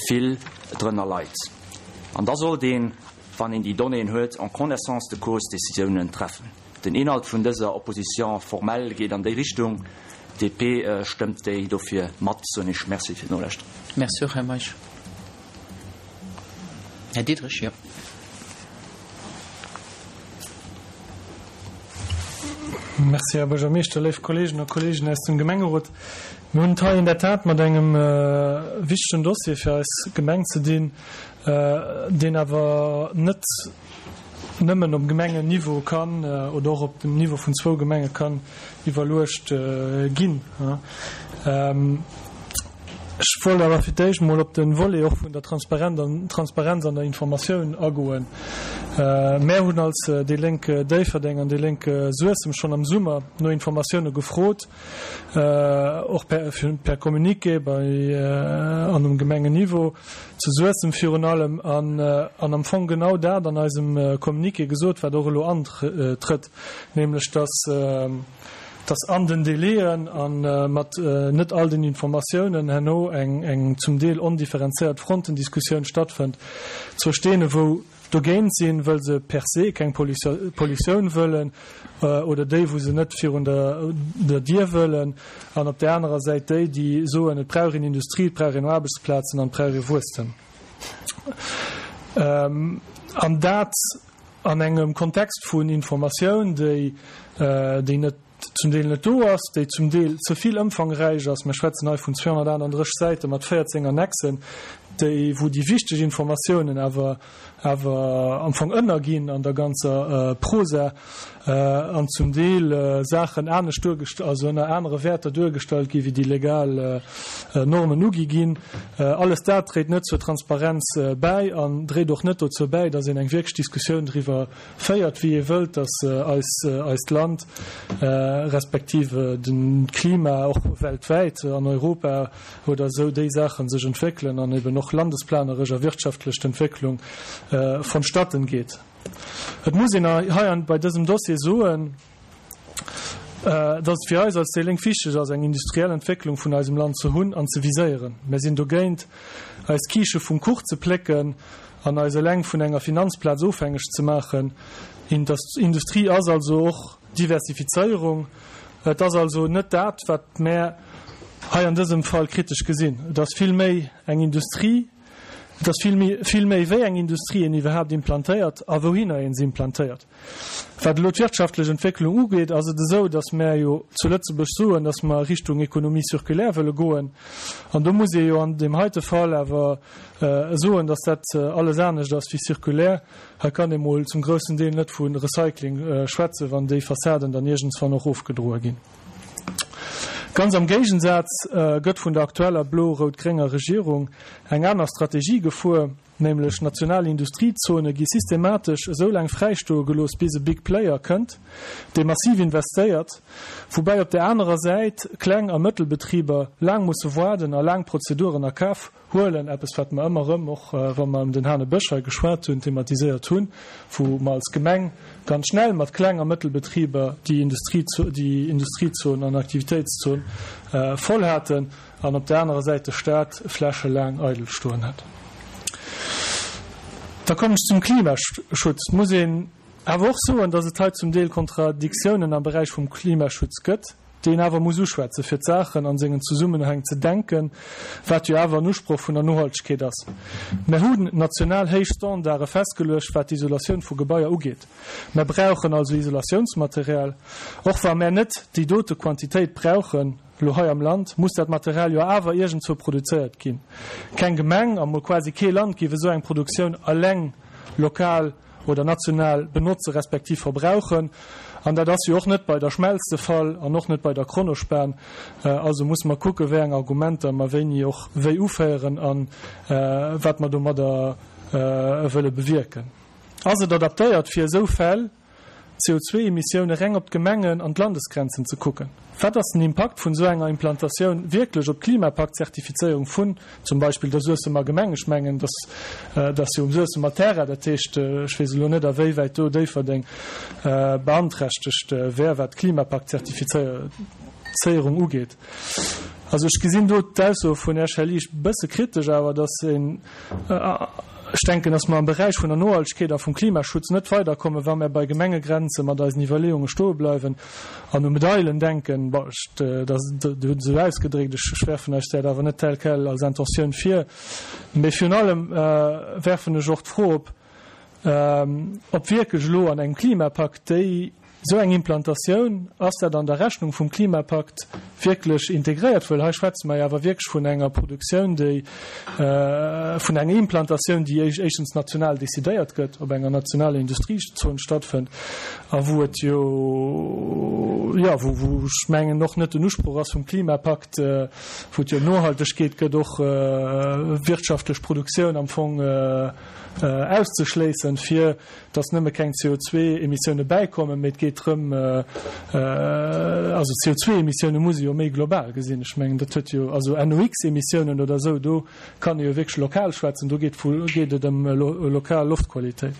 [SPEAKER 7] vill drënner leit. An da sollt een, wann een déi Donnéeën huet, en connaissance de cause Décisiounen treffen. Den Inhalt vun dëser Opposition formelle geet an déi Richtung. DP stëmmt déi dofir mat, soen ech Merci fir d'Nolauschteren.
[SPEAKER 4] Merci och, Här Meisch. Här Diderich, jo.
[SPEAKER 8] Merci, Här Buergermeeschter, léif Kolleegen a Kolleegen aus dem Gemengerot. Mir hunn et hei in der Tat mat engem wichtegen Dossier fir eis Gemeng ze dinn, deen awer net nëmmen op Gemengenniveau kann oder och op dem Niveau vun zwou Gemenge kann iwwerluecht ginn. Ech wollt awer fir d'éischt emol op de Volet och vun der Transparenz an der Informatioun agoen. Mär hunn als déi Lénk Déifferdeng an déi Lénk Suessem schonn am Summer no Informatioune gefrot, och per Communiqué bei an um Gemengenniveau, zu Suessem virun allem, an am Fong genau dat an eisem Communiqué gesot, wat och elo antrëtt, nämlech dass, dass an den Délaiën a mat net all den Informatiounen herno eng zum Deel ondifferenzéiert Frontendiskussioun stattfënnt, zwëscht deene wou dogéint sinn, wëll se per se keng Pollutioun wëllen, oder déi wou se net virun der Dier wëllen, an op där anerer Säit déi, déi soen, et brauch een Industrie, et brauch een Aarbechtsplazen an et brauch ee Wuesstem. An dat an engem Kontext vun Informatioun, déi net zum Deel net do ass, déi zum Deel ze vill ëmfangräich ass, mir schwätzen hei vun 238 Säite mat 14 Annexen, déi, wou déi wichteg Informatiounen awer, awer am Fong ënnerginn an der ganzer Prosa an zum Deel Saachen anescht duergest-, also ënner anere Wäerter duergestallt ginn, wéi déi legal Normen ugi ginn. Alles dat dréit net zur Transparenz bäi an dréit och net dozou bäi, dass een eng wierklech Diskussioun driwwer féiert, wéi ee wëllt, dass eis, eist Land respektiv de Klima och weltwäit, an Europa oder esou, déi Saache sech entwéckelen an eben och landesplaneresch a wirtschaftlech d'Entwécklung vonstatten geet. Et muss een hei bei dësem Dossier soen, dass et fir eis als déi Lénk wichteg ass, eng industriell Entwécklung vun eisem Land ze hunn an ze viséieren. Mär sinn dogéint, eis Kiische vum Kuch ze plécken an eis eleng vun enger Finanzplaz ofhängeg ze maachen. Industrie ass also och Diversifizéierung. Et ass also net dat, wat mär hei an dësem Fall kritesch gesinn. Et ass vill méi eng Industrie, et ass vill méi, vill méi wéi eng Industrie een iwwerhaapt implantéiert a wouhinner een se implantéiert. Wat elo d'wirtschaftlech Entwécklung ugeet, ass et esou, datt mär jo zu Lëtzebuerg soen, datt mer Richtung Économie circulaire wëlle goen. An do muss ee jo an deem heite Fall awer soen, datt dat alles anescht ass wéi circulaire. Hei kann ee mol zum groussen Deel net vu Recycling schwätzen, wann déi Fassaden dann iergendswann och ofgedroe ginn. Ganz am Géigensaz gëtt vun der aktueller blo-rout-grénger Regierung eng aner Strategie gefuer. Nämlech national Industriezone gi systematesch esou laang fräistoe gelooss, bis e Big Player kënnt, dee massiv investéiert, woubäi op där anerer Säit Kleng a Mëttelbetriber laang musse waarden a laang Prozeduren a Kaf huelen, eppes wat mer ëmmer erëm, och wa mer ëm den Hanebësch hei geschwat hunn, thematiséiert hunn, wou mer als Gemeng ganz schnell mat Kleng a Mëttelbetriber déi Industriezon an Aktivitéitszon voll haten. an op der anerer Säit de Staat Fläche laang eidel stoen hätt. Da kommen ech zum Klimaschutz. Et muss een awer och soen, dass et hei zum Deel Kontradiktiounen am Beräich vum Klimaschutz gëtt, déi een awer muss uschwätzen, fir d'Saachen a sengen Zesummenhäng ze denken, wat jo awer en Usproch vun der Nohaltegkeet ass. Mer hunn national héich Standarde festgeluecht, wat d'Isolatioun vu Gebaier ugeet. Mer brauchen also Isolatiounsmaterial, och wa mer net déi dote Quantitéit brauchen. Elo hei am Land muss dat Material jo awer iergendzwou produzéiert ginn. Keng Gemeng, a mol quasi kee Land géif esou eng Produktioun eleng lokal oder national benotze respektiv verbrauchen. An dat ass jo och net bei der Schmelz de Fall an och net bei der Kronospan. Also musse mer kucken, wéi eng Argumenter mer wéini och wéi uféieren a wat mer domadder wëlle bewierken. Ass et adaptéiert fir esou Fäll? CO2-Emissioune reng op d'Gemengen an d'Landesgrenzen ze kucken. Wat ass den Impakt vun esou enger Implantatioun wierklech op d'Klimapakt-Zertifizéierung vun zum Beispill der Suessemer Gemeng? Ech mengen, dat ass jo um Suessemer Terrain, dat heescht, ech weess elo net, awéiwäit do Déifferdeng beanträchtegt wär, wat d'Klimapakt-Zertifizéierung ugeet. Also ech gesinn do d'Ausso vun Här Schelicht e bësse kritesch awer, dass een. Ech denken, dass mer am Beräich vun der Nohaltegkeet a vum Klimaschutz net weiderkommen, wa mer bei Gemengegrenze mat eisen Iwwerleeunge stoe bleiwen an u Medailen denken. Bon, ech, dat, Dir hutt et esou ausgedréckt, ech, ech werfen eis dat awer net tel quel als Intentioun vir. Mee virun allem werfen ech och d'Fro op, ob wierklech elo an engem Klimapakt déi, Esou eng Implantatioun, ass dat an der Rechnung vum Klimapakt wierklech integréiert? Wëll hei schwätze mer jo awer wierklech vun enger Produktioun, déi, vun enger Implantatioun, déi éischtens national decidéiert gëtt, op enger nationaler Industriezon stattfënnt a wou et jo, jo, wou, wou ech mengen och net den Usproch ass vum Klimapakt, wou et jo ëm Nohaltegkeet gëtt, och wirtschaftlech Produktioun am Fong auszeschléissen, fir dass nëmme keng CO2-Emissioune bäikommen, mee et geet drëm, also CO2-Emissioune muss ee jo méi global gesinn. Ech mengen, dat huet jo, also NOx-Emissiounen oder esou, do kann ee jo wierklech lokal schwätzen, do geet vu geet et ëm lokal Loftqualitéit.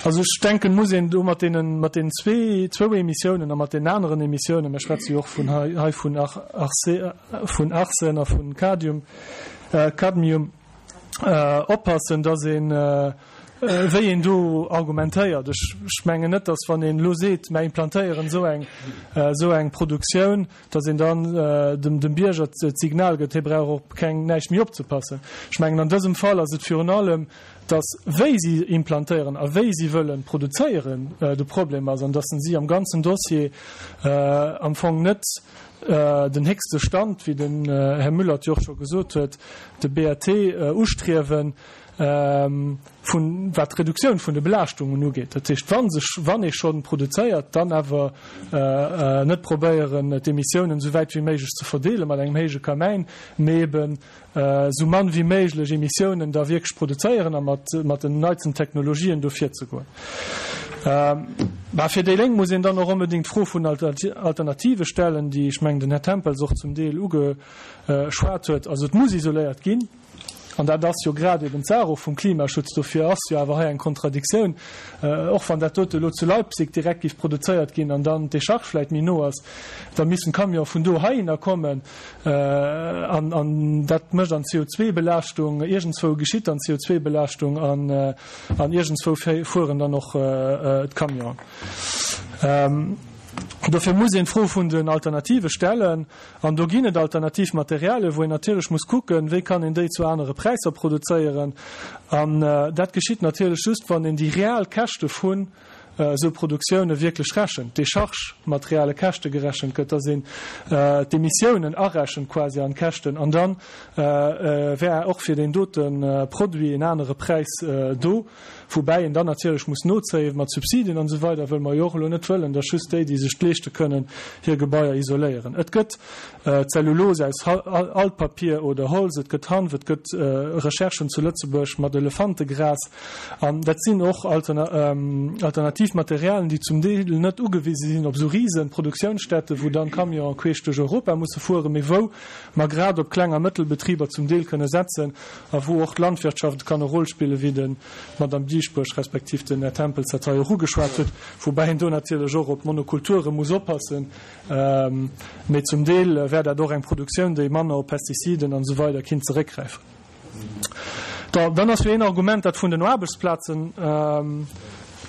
[SPEAKER 8] Also ech denken, muss een do mat deenen, mat deenen zwee, zwou Emissiounen a mat deenen aneren Emissiounen, mir schwätze jo och vun hei, hei vun Arse, vun Arsen a vun Kadium, Cadmium, oppassen, dass een, wéi een do argumentéiert. Ech mengen net, datt wann een elo seet, mer implantéieren esou eng, esou eng Produktioun, datt een dann dem, dem Bierger d'Signal gëtt, hie brauch op keng, näischt méi opzepassen. Ech mengen, an dësem Fall ass et virun allem, datt wéi si implantéieren a wéi si wëllen produzéieren de Problem ass an datt si am ganzen Dossier am Fong net den héchste Stand, wéi den Här Müller et jo och scho gesot huet, de BAT ustriewen, vun, wat d'Reduktioun vun de Belaaschtungen ugeet. Dat heescht, wa sech, wann ee schonn produzéiert, dann awer net probéieren, d'Emissiounen esou wäit wéi méiglech ze verdeele mat engem héije Kamäin, mee eben esou mann wéi méiglech Emissiounen da wierklech produzéieren a mat, mat den neitsten Technologien do virzegoen. Mä fir déi Lénk muss een dann och onbedéngt d'Fro vun Alternative stellen, déi, ech mengen, den Här Tempels och zum Deel ugeschwat huet. Also et muss isoléiert ginn. An dat ass jo grad eben d'Saach och vum Klimaschutz. Dofir ass jo awer hei eng Kontradiktioun, och wann dat dote elo zu Leipzig direkt géif produzéiert ginn an dann d'Décharge vläicht méi no ass, da missten d'Camionë vun do heihinner kommen an an dat mécht an CO2-Belaaschtung, iergendzwou geschitt dann d'CO2-Belaaschtung an an iergendzwou fueren dann och d'Camionen. Dofir muss een d'Fro vun den Alternative stellen. An do ginn et alternativ Materialien, wou een natierlech muss kucken, wéi kann een déi zu anere Präisser produzéieren. An dat geschitt natierlech just, wann een déi real Käschte vun esou Produktioune wierklech rechent, d'Décharge mat reale Käschte gerechent gëtt, dass een d'Emissiounen arechent quasi an d'Käschten. An da wär och fir deen dote Produit en anere Präis do. Woubäi een dann natierlech muss nozéien mat Subsidien an esou weider, wëll mer jo och elo net wëllen, datt just déi, déi sech et leeschte kënnen, hir Gebaier isoléieren. Et gëtt Zellulose aus Altpapier oder Holz, et gëtt Hanf, et gëtt Recherchen zu Lëtzebuerg mat Elefantegras. An dat sinn och alternativ Materialien, déi zum Deel net ugewise sinn op esou rise Produktiounsstätten, wou dann Camionen queesch duerch Europa musse fueren, mee wou mer grad op Kleng a Mëttelbetriber zum Deel kënne setzen a wou och d'Landwirtschaft kann e Rôle spillen, wéi de d'Madame Dieschbourg respektiv den Här Tempels dat hei och ugeschwat huet, woubäi een do natierlech och op d'Monokulture muss oppassen. Mee zum Deel wär dat och eng Produktioun, déi manner op Pestiziden an esou weider kinnt zeréckgräifen. Dann ass jo een Argument dat vun den Aarbechtsplazen.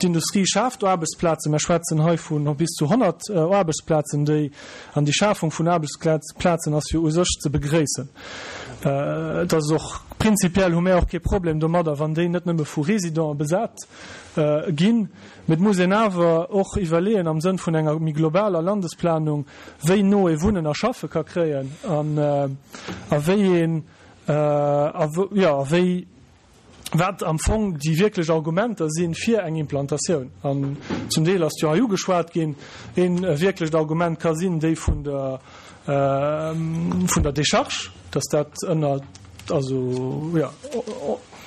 [SPEAKER 8] D'Industrie schaaft Aarbechtsplazen. Mer schwätzen hei vu bis zu 100 Aarbechtsplazen, déi, an déi Schafung vun Aarbechtsplazen ass jo u sech ze begréissen. Et ass och, prinzipiell hu mär och kee Problem domadder, wann déi net nëmme vu Résidenten besat ginn. Mee et muss een awer och iwwerleeën am Sënn vun enger méi globaler Landesplanung, wéi no ee Wunnen a Schaffe ka kréien an a wéi een, a jo, a wéi, wat am Fong déi wierklech Argumenter si fir eng Implantatioun. An zum Deel ass jo hei ugeschwat ginn, ee wierklecht Argument ka sinn déi vun der, vun der Décharge, dass dat ënner, also jo,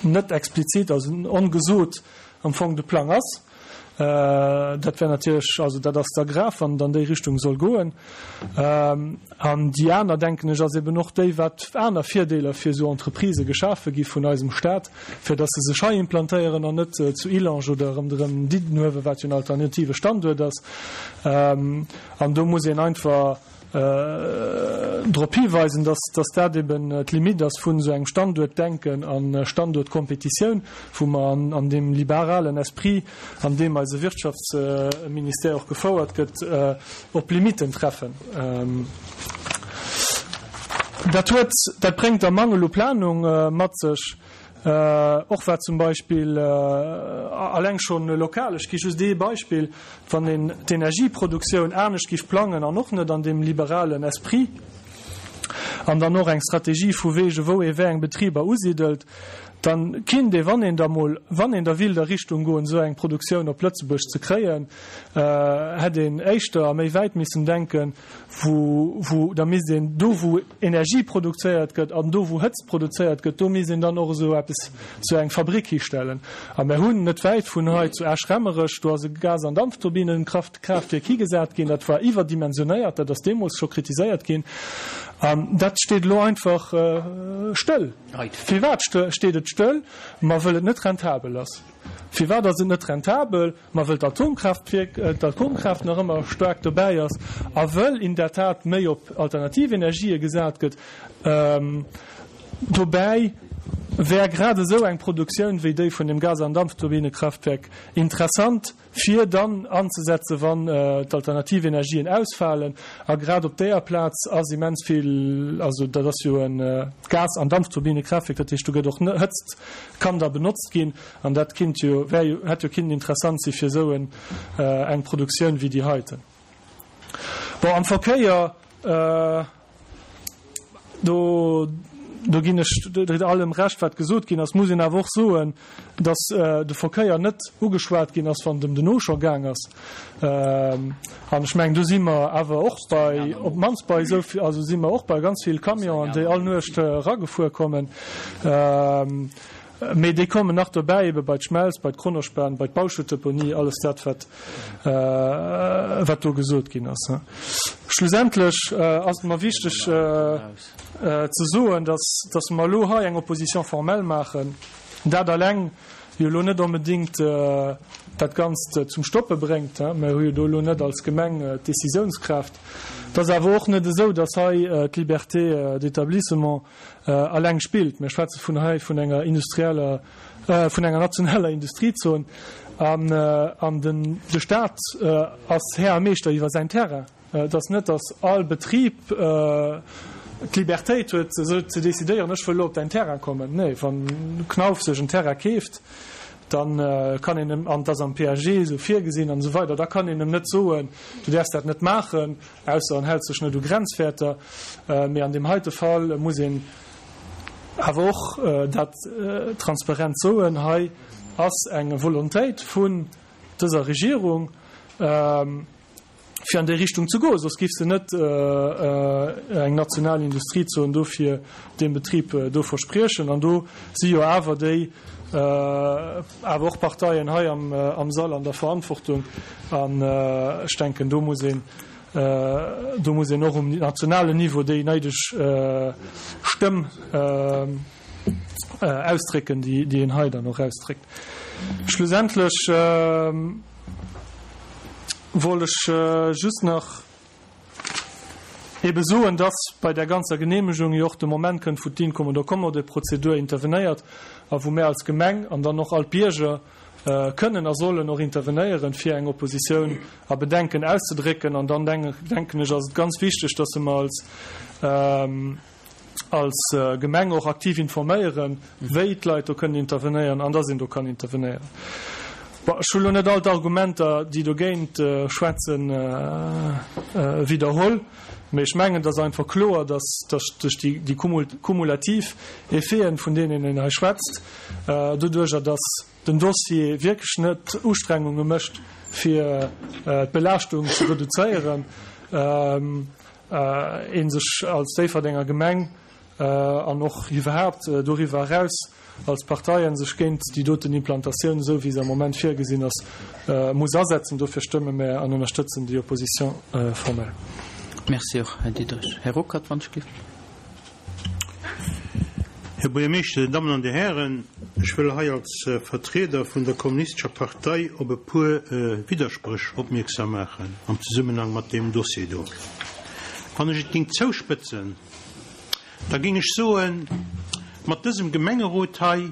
[SPEAKER 8] net explizit, also ongesot am Fong de Plang ass. Dat wär natierlech, also dat ass da grav, wann et an déi Richtung soll goen. An déi aner, denken ech, ass eben och déi, wat aner Virdeeler fir esou Entreprisë geschafe gi vun eisem Stat, fir datt se sech hei implantéieren an net zu Illange oder ronderëm Diddenuewen, wat jo en alternative Standuert ass. An do muss een einfach. drop hiweisen, dass dass dat eben d'Limite ass vun esou engem Standuertdenken a Standuertkompetitioun, wou mer an an deem liberalen Esprit, an deem eise Wirtschaftsministère och gefouert gëtt, op Limiten treffen. Dat huet, dat bréngt da Mangel u Planung mat sech. Och wat zum Beispill alleng schonn lokal, ech gi just ee Beispill, wann een d'Energieproduktioun anescht géif plangen an och net an deem liberalen Esprit an dann och eng Strategie vu wege wou ee wéi eng Betriber usidelt, da kinnt ee, wann een da mol, wann een da willt a Richtung goen, esou eng Produktioun op Lëtzebuerg ze kréien, hätt een éischter a méi wäit missen denken, wou, wou da misst een do wou Energie produzéiert gëtt an do wou Hëtzt produzéiert gëtt, do misst een dann och esou eppes, esou eng Fabrik histellen. A mer hunn net wäit vun hei zu Esch-Remmerech, do ass e Gas an Dampfturbinenkraft, Kraftwierk higesat ginn, dat war iwwerdimensionéiert, dat ass deemools scho kritiséiert ginn an dat steet elo einfach stëll. Firwat steet et stëll? Ma wëll et net rentabel ass. Firwat ass et net rentabel? Ma wëll d'Atomkraaftwierk, d'Atomkraaft nach ëmmer staark dobäi ass a wëll in der Tat méi op alternativ Energië gesat gëtt. Dobäi wär grad esou eng Produktioun wéi déi vun dem Gas an Dampfturbinekraftwerk interessant, fir dann anzesetzen, wann d'alternativ Energien ausfalen. A grad op deeër Plaz ass immens vill, also dat ass jo e Gas an Dampfturbinekraftwerk, dat heescht do gëtt och Hëtzt kann da benotzt ginn. An dat kinnt jo, wär jo, hätt jo kinnen interessant si fir esou en, eng Produktioun wéi déi heiten. Bon, am Verkéier, do, do ginn ech allem Recht, wat gesot ginn ass, muss een awer och soen, dass de Verkéier net ugeschwat ginn ass, wann et ëm den Auchan gaang ass. An ech mengen, do si mer awer och bei, op d'mannst bei esou vill, also si mer och bei ganz vill Camionen, déi all Nuecht eragefuer kommen. Mee déi kommen nach dobäi, ebe bei d'Schmelz, bei d'Kronospan, bei d'Bauschuttdeponie, alles dat, wat, wat do gesot ginn ass. Schlussendlech ass et mer wichteg ze soen, dass, dass mer elo hei eng Opposition formelle maachen. Dat alleng jo elo net onbedéngt dat Ganzt zum Stoppe bréngt. Mer hu jo do elo net als Gemeng d'Décisiounskraaft. Et ass awer och net esou, dass hei d'Liberté d'établissement alleng spillt. Mir schwätze vun hei vun enger industrieller, vun enger nationaler Industriezon an, an den, de Stat ass Här a Meeschter iwwer säin Terrain. Et ass net, datt all Betrib d'Libertéit huet, esou ze decidéieren, ech wëll elo op däin Terrain kommen. Nee, wann Knauf sech en Terrain keeft, da kann een em, an et ass am PAG esou virgesinn an esou weider, da kann een em net soen, du däerfs dat net maachen. Ausser en hält sech net u Grenzwäerter. Mee an deem heite Fall muss een awer och dat transparent soen, Hei ass eng Volontéit vun dëser Regierung, fir an déi Richtung ze goen, soss géif se net eng national Industriezon do fir dee Betrib do verspriechen. An do si jo awer déi awer och Parteien hei am Sall an der Verantwortung. An ech denken, do muss een, do muss een och um nationalen Niveau déi néideg Stëmm ausdrécken, déi een hei dann och ausdréckt. Schlussendlech wollt ech just nach ebe soen, dass bei där ganzer Genehmegung jo och de Moment kënnt, wou d'Inkommodo-Kommodo-Prozedur intervenéiert a wou mär als Gemeng an dann och all d'Bierger kënnen a sollen och intervenéieren, fir eng Oppositioun a Bedenken auszedrécken. An dann denken ech, ass et ganz wichteg, dass mer als als Gemeng och aktiv informéieren, wéi d'Leit do kënnen intervenéieren an dass een do kann intervenéieren. Bon, ech hu lo net all d'Argumenter, déi dogéint schwätzen, widderholl, mee ech mengen, et ass einfach kloer, dass duerch déi kumulativ Effeten, vun deenen een hei schwätzt, doduerjer dass den Dossier wierklech net Ustrengunge mécht, fir d'Belaaschtung ze reduzéieren, ee sech als Déifferdenger Gemeng an och iwwerhaapt doriwwer eraus als Parteien sech géint déi doten Implantatioun, esou wéi se am Moment virgesinn ass, muss asetzen. Dofir stëmme mär an ënnerstëtzen déi Opposition formelle.
[SPEAKER 4] Merci och, Här Diderich. Här Ruckert, wann ech gelift.
[SPEAKER 9] Här Buergermeeschter, Dir Dammen an Dir Hären, ech wëll hei als Vertrieder vun der Kommunistescher Partei op e puer Widderspréch opmierksam maachen am Zesummenhang mat deem Dossier do. Wann ech et géing zouspëtzen, da géing ech soen, mat dësem Gemengerot hei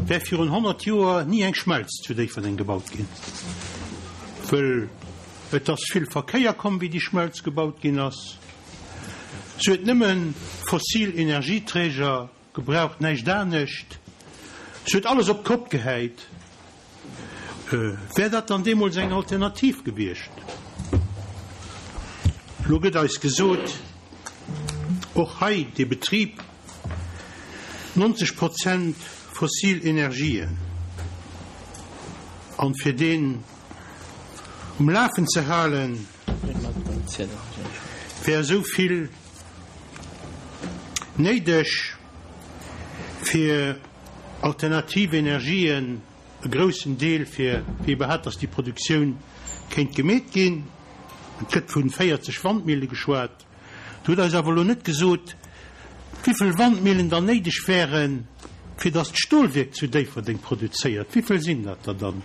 [SPEAKER 9] wär virun 100 Joer ni eng Schmelz zu Déifferdeng gebaut ginn, wëll et ass vill Verkéier komm, wéi déi Schmelz gebaut ginn ass. Se huet nëmme fossil Energieträger gebraucht, näischt anescht. Se huet alles op d'Kopp gehäit. Wär dat dann deemools eng Alternativ gewiescht? Elo gëtt eis gesot, och hei dee Betrib, 90 Prozent fossil Energien, an fir deen um Lafen ze halen, wär esou vill néideg, fir alternativ Energien, e groussen Deel, fir fir iwwerhaapt, dass déi Produktioun kéint gemeet ginn. Et gëtt vu 40 Wandmille geschwat. Dir hutt eis awer elo net gesot, wivill Wandmillen dann néideg wären, fir dass d'Stolwierk zu Déifferdeng produzéiert. Wivill sinn dat der dann?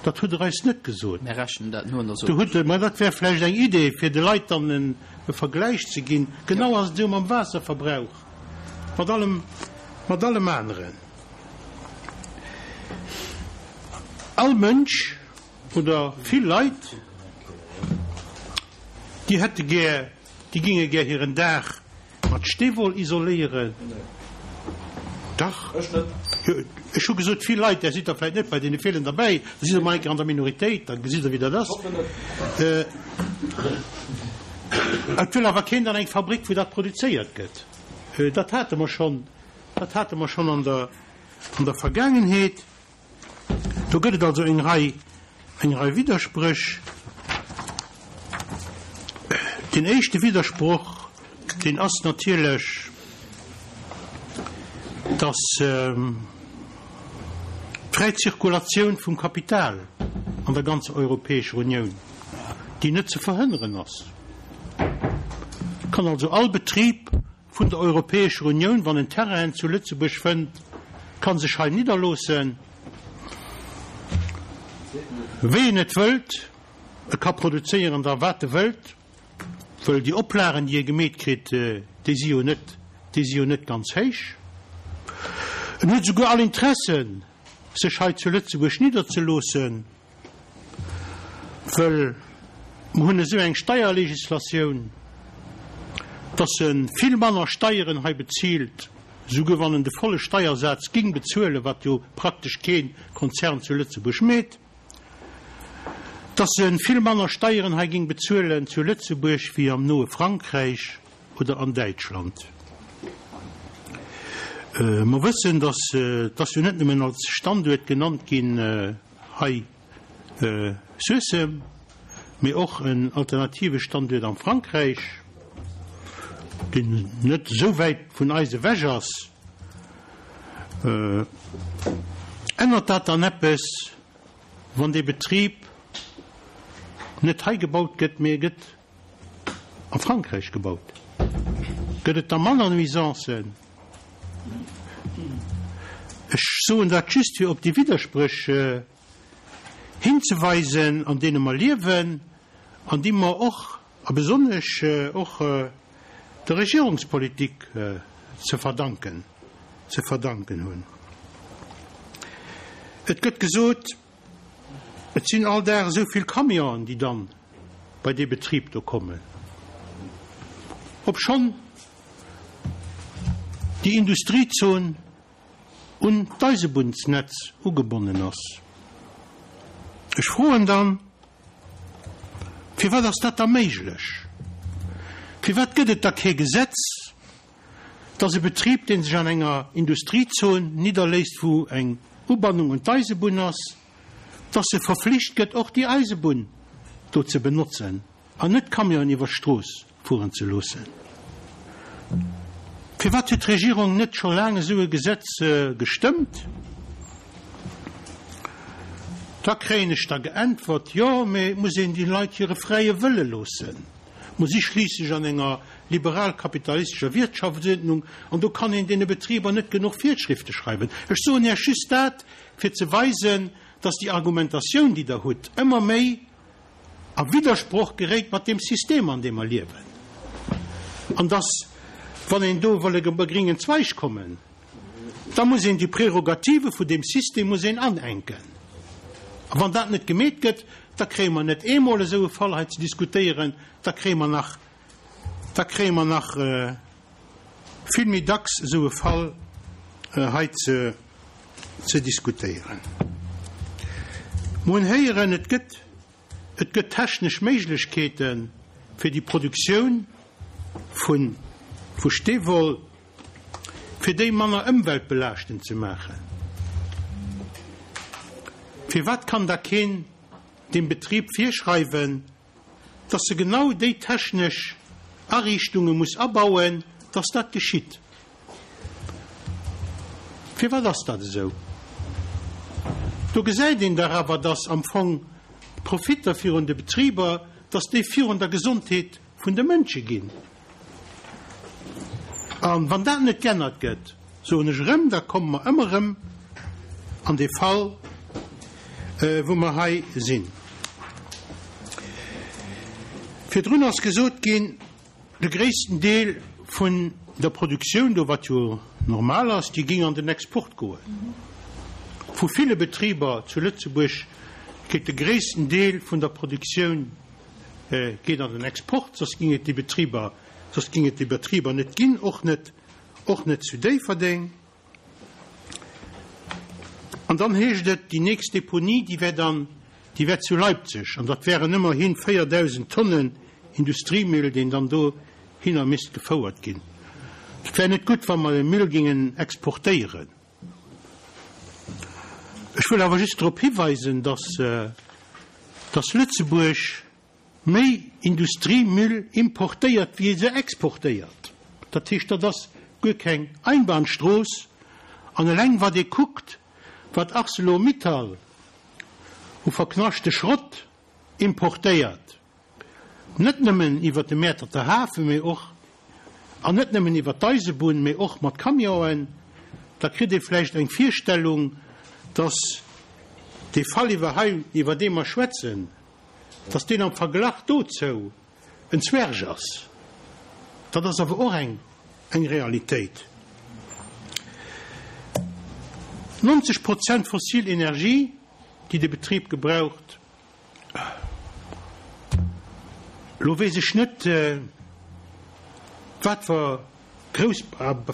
[SPEAKER 9] Dat hutt Der eis net gesot.
[SPEAKER 1] Mir rechnen dat no an der
[SPEAKER 9] Do hutt Der, mä dat wär vläicht eng Idee, fir de Leit dann e Vergläich ze ginn. Genau ass et esou mam Waasserverbrauch, mat allem, mat allem aneren. All Mënsch oder vill Leit, déi hätte gär, déi géinge gär hiren Daach mat Steewoll isoléieren. Dach.
[SPEAKER 2] Ech net.
[SPEAKER 9] Jo, ech hu gesot vill Leit, Där sidd der vläicht net bei deene villen derbäi, da sidd Der mol eng Kéier an der Minoritéit, da gesitt Der wéi dat ass.
[SPEAKER 2] Ech hoffen net.
[SPEAKER 9] Et wëll awer keen dann eng Fabrik, wou dat produzéiert gëtt. Dat hate mer schonn, dat hate mer schonn an der, an der Vergaangenheet. Do gëtt et also eng Rei, eng Rei Widderspréch. Deen éischte Widdersproch, deen ass natierlech, dass d'fräi Zirkulatioun vum Kapital an der ganzer Europäescher Unioun, déi net ze verhënneren ass, kann also all Betrib vun der Europäescher Unioun, wann en Terrainen zu Lëtzebuerg fënnt, ka sech hei nidderloossen, wéi en et wëllt. E ka produzéieren da wat e wëllt, wëll déi Oplagen, déi e gemeet kritt, déi si jo net, déi si jo net ganz héich. En huet esouguer all Interessen, sech hei zu Lëtzebuerg nidderzeloossen. Wëll mer hunn esou eng Steierlegislatioun, dass e vill manner Steieren hei bezilt, souguer wann en de volle Steiersaz ging bezuelen, wat jo praktesch kee Konzern zu Lëtzebuerg meet, dass e vill manner Steieren hei ging bezuelen zu Lëtzebuerg wéi am noe Frankräich oder an Däitschland. Mer wëssen, dass, et ass jo net nëmmen als Standuert genannt ginn hei, Suessem, mee och en alternative Standuert am Frankräich, deen net esou wäit vun eis ewech ass. Ännert dat dann eppes, wann dee Betrib net hei gebaut gëtt, mee e gëtt a Frankräich gebaut? Gëtt et da manner Nuisancen? Ech soen dat just, fir op déi Widderspréch hinzeweisen, an deene mer liewen an déi mer och, a besonnesch och der Regierungspolitik ze verdanken, ze verdanken hunn. Et gëtt gesot, et sinn all Dag esou vill Camionen, déi dann bei dee Betrib do kommen, obschonn déi Industriezon un d'Eisebunnsnetz ugebonnen ass. Ech froen dann, Firwat ass dat da méiglech? Firwat gëtt et da kee Gesetz, dass e Betrib, dee sech an enger Industriezon nidderléisst, wou eng Ubannung un d'Eisebunn ass, dass e verflicht gëtt, och déi Eisebunn do ze benotzen an net Camionen iwwer d'Strooss fueren ze loossen. Firwat huet d'Regierung net scho laang esou e Gesetz gestëmmt? Da kréien ech da geäntwert, Jo, mee et muss een déi Leit hire fräie Wëlle loossen. Mer si schliisslech an enger liberal-kapitalistescher Wirtschaftsuerdnung an do kann een deene Betriber net genuch Virschrifte schreiwen. Ech soen Iech just dat, fir ze weisen, dass déi Argumentatioun, déi Der hutt, ëmmer méi a Widdersproch geréit mat deem System, an deem mer liewen. An dass, wann een do wëll op e gringen Zweig kommen, da muss een déi Prerogative vun deem System muss een anenken. A wann dat net gemeet gëtt, da kréie mer net eemol esou e Fall hei ze diskutéieren, da kréie mer nach, da kréie mer nach vill méi dacks esou e Fall hei ze, ze diskutéieren. Mer hunn héieren, et gëtt, et gëtt technesch Méiglechkeete fir déi Produktioun vu, vu Steewoll, fir déi manner ëmweltbelaaschtend ze maachen. Firwat kann da keen dem Betrib virschreiwen, dass e genau déi technesch Ariichtunge muss abauen, dass dat geschitt? Firwat ass dat esou? Do gesäit een dach awer, dass am Fong d'Profitter virun de Betriber, dass déi virun der Gesondheet vun de Mënsche ginn. A wann dat net geännert gëtt, soen ech erëm, da komme mer ëmmer erëm an dee Fall, wou mer hei sinn. Virdrun ass gesot ginn, de gréissten Deel vun der Produktioun do, wat jo normal ass, déi géing an den Export goen. Vu ville Betriber zu Lëtzebuerg geet de gréissten Deel vun der Produktioun geet an den Export, soss ging et déi Betriber, soss ging et déi Betriber net ginn, och net, och net zu Déifferdeng. An dann heescht et, déi nächst Deponie, déi wär dann, déi wär zu Leipzig, an dat wären ëmmerhi 4.000 Tonnen Industriemüll, deen dann dohinner misst gefouert ginn. Et wär net gutt, wa mer de Müll gingen exportéieren. Ech wëll awer just drop hiweisen, dass, dass Lëtzebuerg méi Industriemüll importéiert, wéi se exportéiert. Dat heescht, dat ass guer keng Einbahnstrooss. An eleng wat ee kuckt, wat Arcelor-Mittal u verknaschte Schrott importéiert, Net nëmmen iwwer de Mäerterter Hafen, mee och, an net nëmmen iwwer d'Eisebunn, mee och mat Camionen, da kritt ee vläicht eng Virstellung, dass dee Fall iwwer hei, iwwer dee mer schwätzen, dass deen am Verglach dozou en Zwerg ass. Dat ass awer och eng, eng Realitéit. 90 Prozent fossil Energie, déi de Betrib gebraucht, Lo weess ech net, wat fer grouss,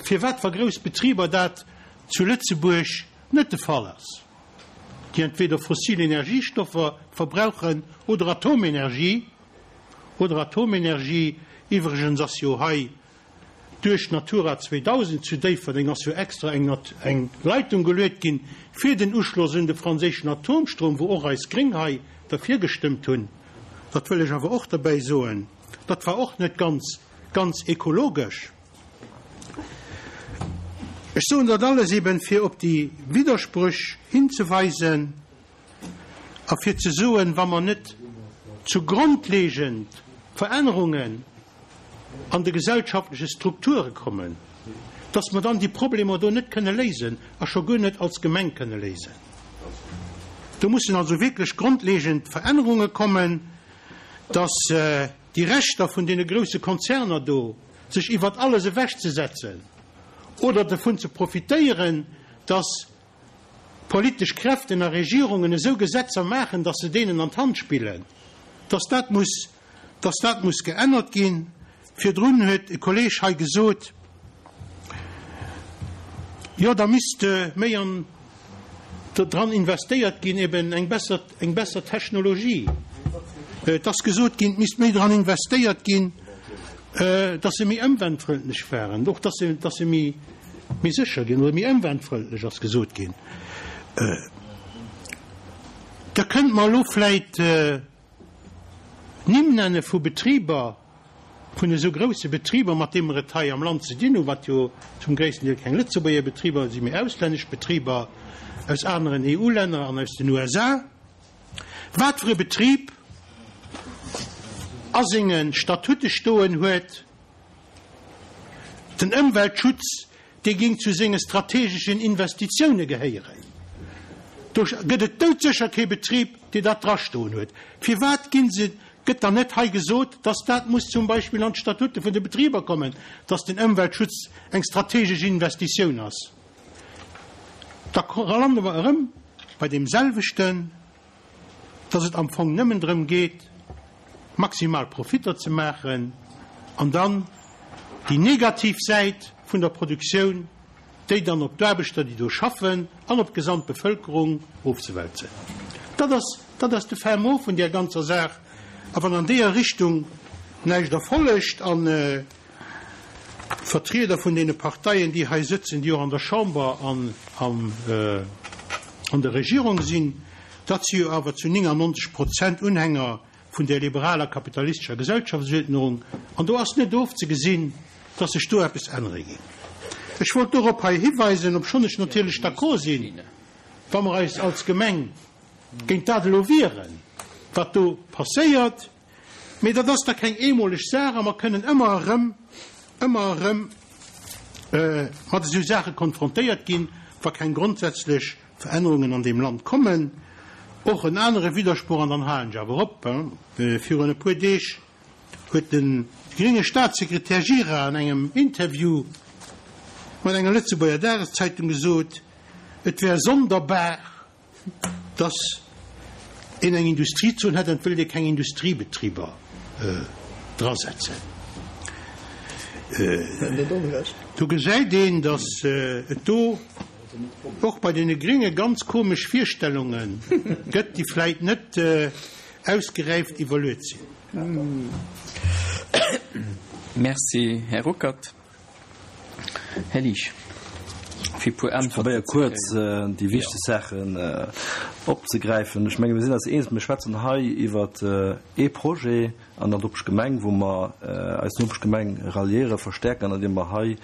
[SPEAKER 9] fir wat fer grouss Betriber dat zu Lëtzebuerg net de Fall ass, déi entweder fossil Energiestoffer verbrauchen oder Atomenergie, oder Atomenergie. Iwwregens ass jo hei Duerch Natura 2000 zu Déifferdeng ass jo extra eng eng Leitung geluet ginn fir den Uschloss un de franséischen Atomstrom, wou och eis Gréng hei derfir gestëmmt hunn. Dat wëll ech awer och derbäi soen, dat war och net ganz, ganz ekologesch. Ech soen dat alles eben, fir op déi Widderspréch hinzeweisen. A fir ze soen, wa mer net zu grondlegend Verännerungen an de gesellschaftleche Strukture kommen, dass mer dann déi Problemer do net kënne léisen a scho guer net als Gemeng kënne léisen. Do mussen also wierklech grondlegend Verännerunge kommen, dass déi Rechter vun deene grouse Konzerner do, sech iwwert alles ewechzesetzen oder dovun ze profitéieren, dass politesch Kräften a Regierungen esou Gesetzer maachen, dass se deenen an d'Hand spillen, dass dat muss, dass dat muss geännert ginn. Virdrun huet e Kolleeg hei gesot, jo da misst méi an dran investéiert ginn, eben eng besser, eng besser Technologie. Et ass gesot ginn, et misst méi dran investéiert ginn, dass se méi ëmweltfrëndlech waren, och dass se, dass se méi, méi sécher ginn oder méi ëmweltfrëndlech, ass gesot ginn. Da kënnt mer elo vläit Nimm nenne vu Betriber, vun esou grousse Betriber, mat deene mer et hei am Land ze dinn hunn, wat jo zum gréissten Deel keng Lëtzebuerger Betriber sinn, mee auslännesch Betriber aus aneren EU-Länner an aus den USA. Wat fir e Betrib a senge Statute stoen huet, Den Ëmweltschutz, dee géing zu senge strategeschen Investitioune gehéieren. Do gëtt et doudsécher kee Betrib, dee dat drastoen huet. Firwat gi se? Gëtt dann net hei gesot, dass dat muss zum Beispill an d'Statute vun de Betriber kommen, dass den Ëmweltschutz eng strategesch Investitioun ass? Da lande mer erëm bei deem selwechten, dass et am Fong nëmmen drëm geet, maximal Profitter ze maachen an dann déi negativ Säit vun der Produktioun, déi dann op d'Aarbechter, déi do schaffen, an op d'gesamt Bevëlkerung ofzewälzen. Dat ass, dat ass de Fin mot vun där ganzer Saach. A wann an deeër Richtung näischt erfollegt an d'Vertrieder vun deene Parteien, déi hei sëtzen, déi och an der Chamber an an der Regierung sinn, dat si jo awer zu 99 Prozent Unhänger vun där liberaler kapitalistescher Gesellschaftsuerdnung, an do ass net ofzegesinn, dass sech do eppes ännere géing. Ech wollt dorop hei hiweisen, obschonn ech natierlech d'accord sinn, wa mer eis als Gemeng géint dat elo wieren, wat do passéiert, mee dat ass da keng eemoleg Saach a mer kënnen ëmmer erëm, ëmmer erëm mat esou Saache konfrontéiert ginn, wa keng grondsätzlech Verännerungen an deem Land kommen. Och en anere Widdersproch, an dann halen ech awer op, Virun e puer Deeg huet de grénge Staatssekretär Gira an engem Interview mat enger Lëtzebuerger Dageszeitung gesot, et wär sonderbar, datt een eng Industriezon hätt an et wëllt ee keng Industriebetriber drasetzen. Do gesäit een, datt et do och bei deene Grénge ganz komesch Virstellunge gëtt, déi vläit net ausgeräift iwwerluet sinn.
[SPEAKER 1] Merci, Här Ruckert. Här Liesch, fir e puer
[SPEAKER 2] Äntwerten ze kréien. Ech probéiere kuerz déi wichteg Saachen opzegräifen. Ech menge mir sinn eis eens, mir schwätzen hei iwwer ee Projet an der Nopeschgemeng, wou mer eis Nopeschgemeng ralliéieren, verstärken, andeem mer hei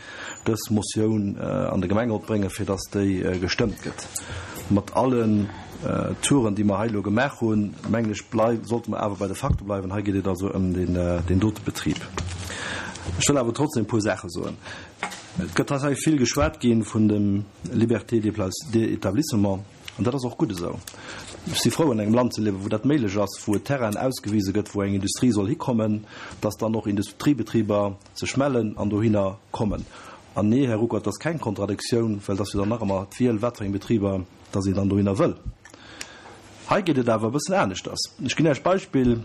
[SPEAKER 2] dës Motioun an de Gemengerot bréngen, fir dass déi gestëmmt gëtt. Mat allen Touren, déi mer hei elo gemaach hunn, mengen ech, sollte mer awer bei de Fakte bleiwen. Hei geet et also ëm deen dote Betrib. Ech wëll awer trotzdem e puer Saache soen. Et gëtt hei vill geschwat gi vun dem Liberté d'établissement, an dat ass och gutt esou. Ech si frou, an engem Land ze liewen, wou dat méiglech ass, wou et Terrainen ausgewise gëtt, wou eng Industrie soll hikommen, dass dann och Industriebetriber sech mellen an dohinner kommen. An nee, Här Ruckert, dat ass keng Kontradiktioun, well et ass jo dann nach ëmmer d'Wiel, wat fir eng Betriber dass een dann dohinner wëll. Hei geet et awer e bëssen aneschters. Ech ginn Iech d'Beispill,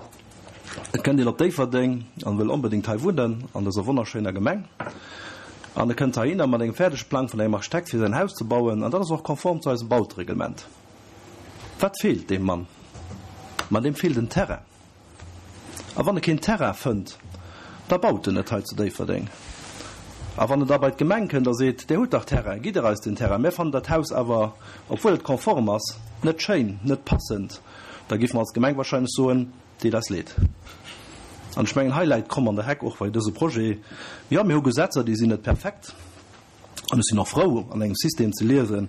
[SPEAKER 2] Et kënnt een op Déifferdeng an wëll onbedéngt hei wunnen, an dëser wonnerschéiner Gemeng. An e kënnt heihinner mat engem fäerdege Plang vun engem Architekt fir säin Haus ze bauen, an dat ass och konform zu eisem Bautereglement. Wat feelt deem Mann? Ma deem feelt en Terrain. A wann e keen Terrain fënnt, da baut en net hei zu Déifferdeng. A wann en da bei d'Gemeng kënnt a seet, Där hutt dach Terrain, gitt Der eis den Terrain, mär fannen dat Haus awer, obwuel et konform ass, net schéin, net passend, da géife mer als Gemeng wahrscheinlech soen, Deet eis leed. An ech mengen, hei läit d'Kromm an der Heck, och bei dëse Projet. Jo, mir hu Gesetzer, déi sinn net perfekt. An ech sinn och frou, an engem System ze liewen,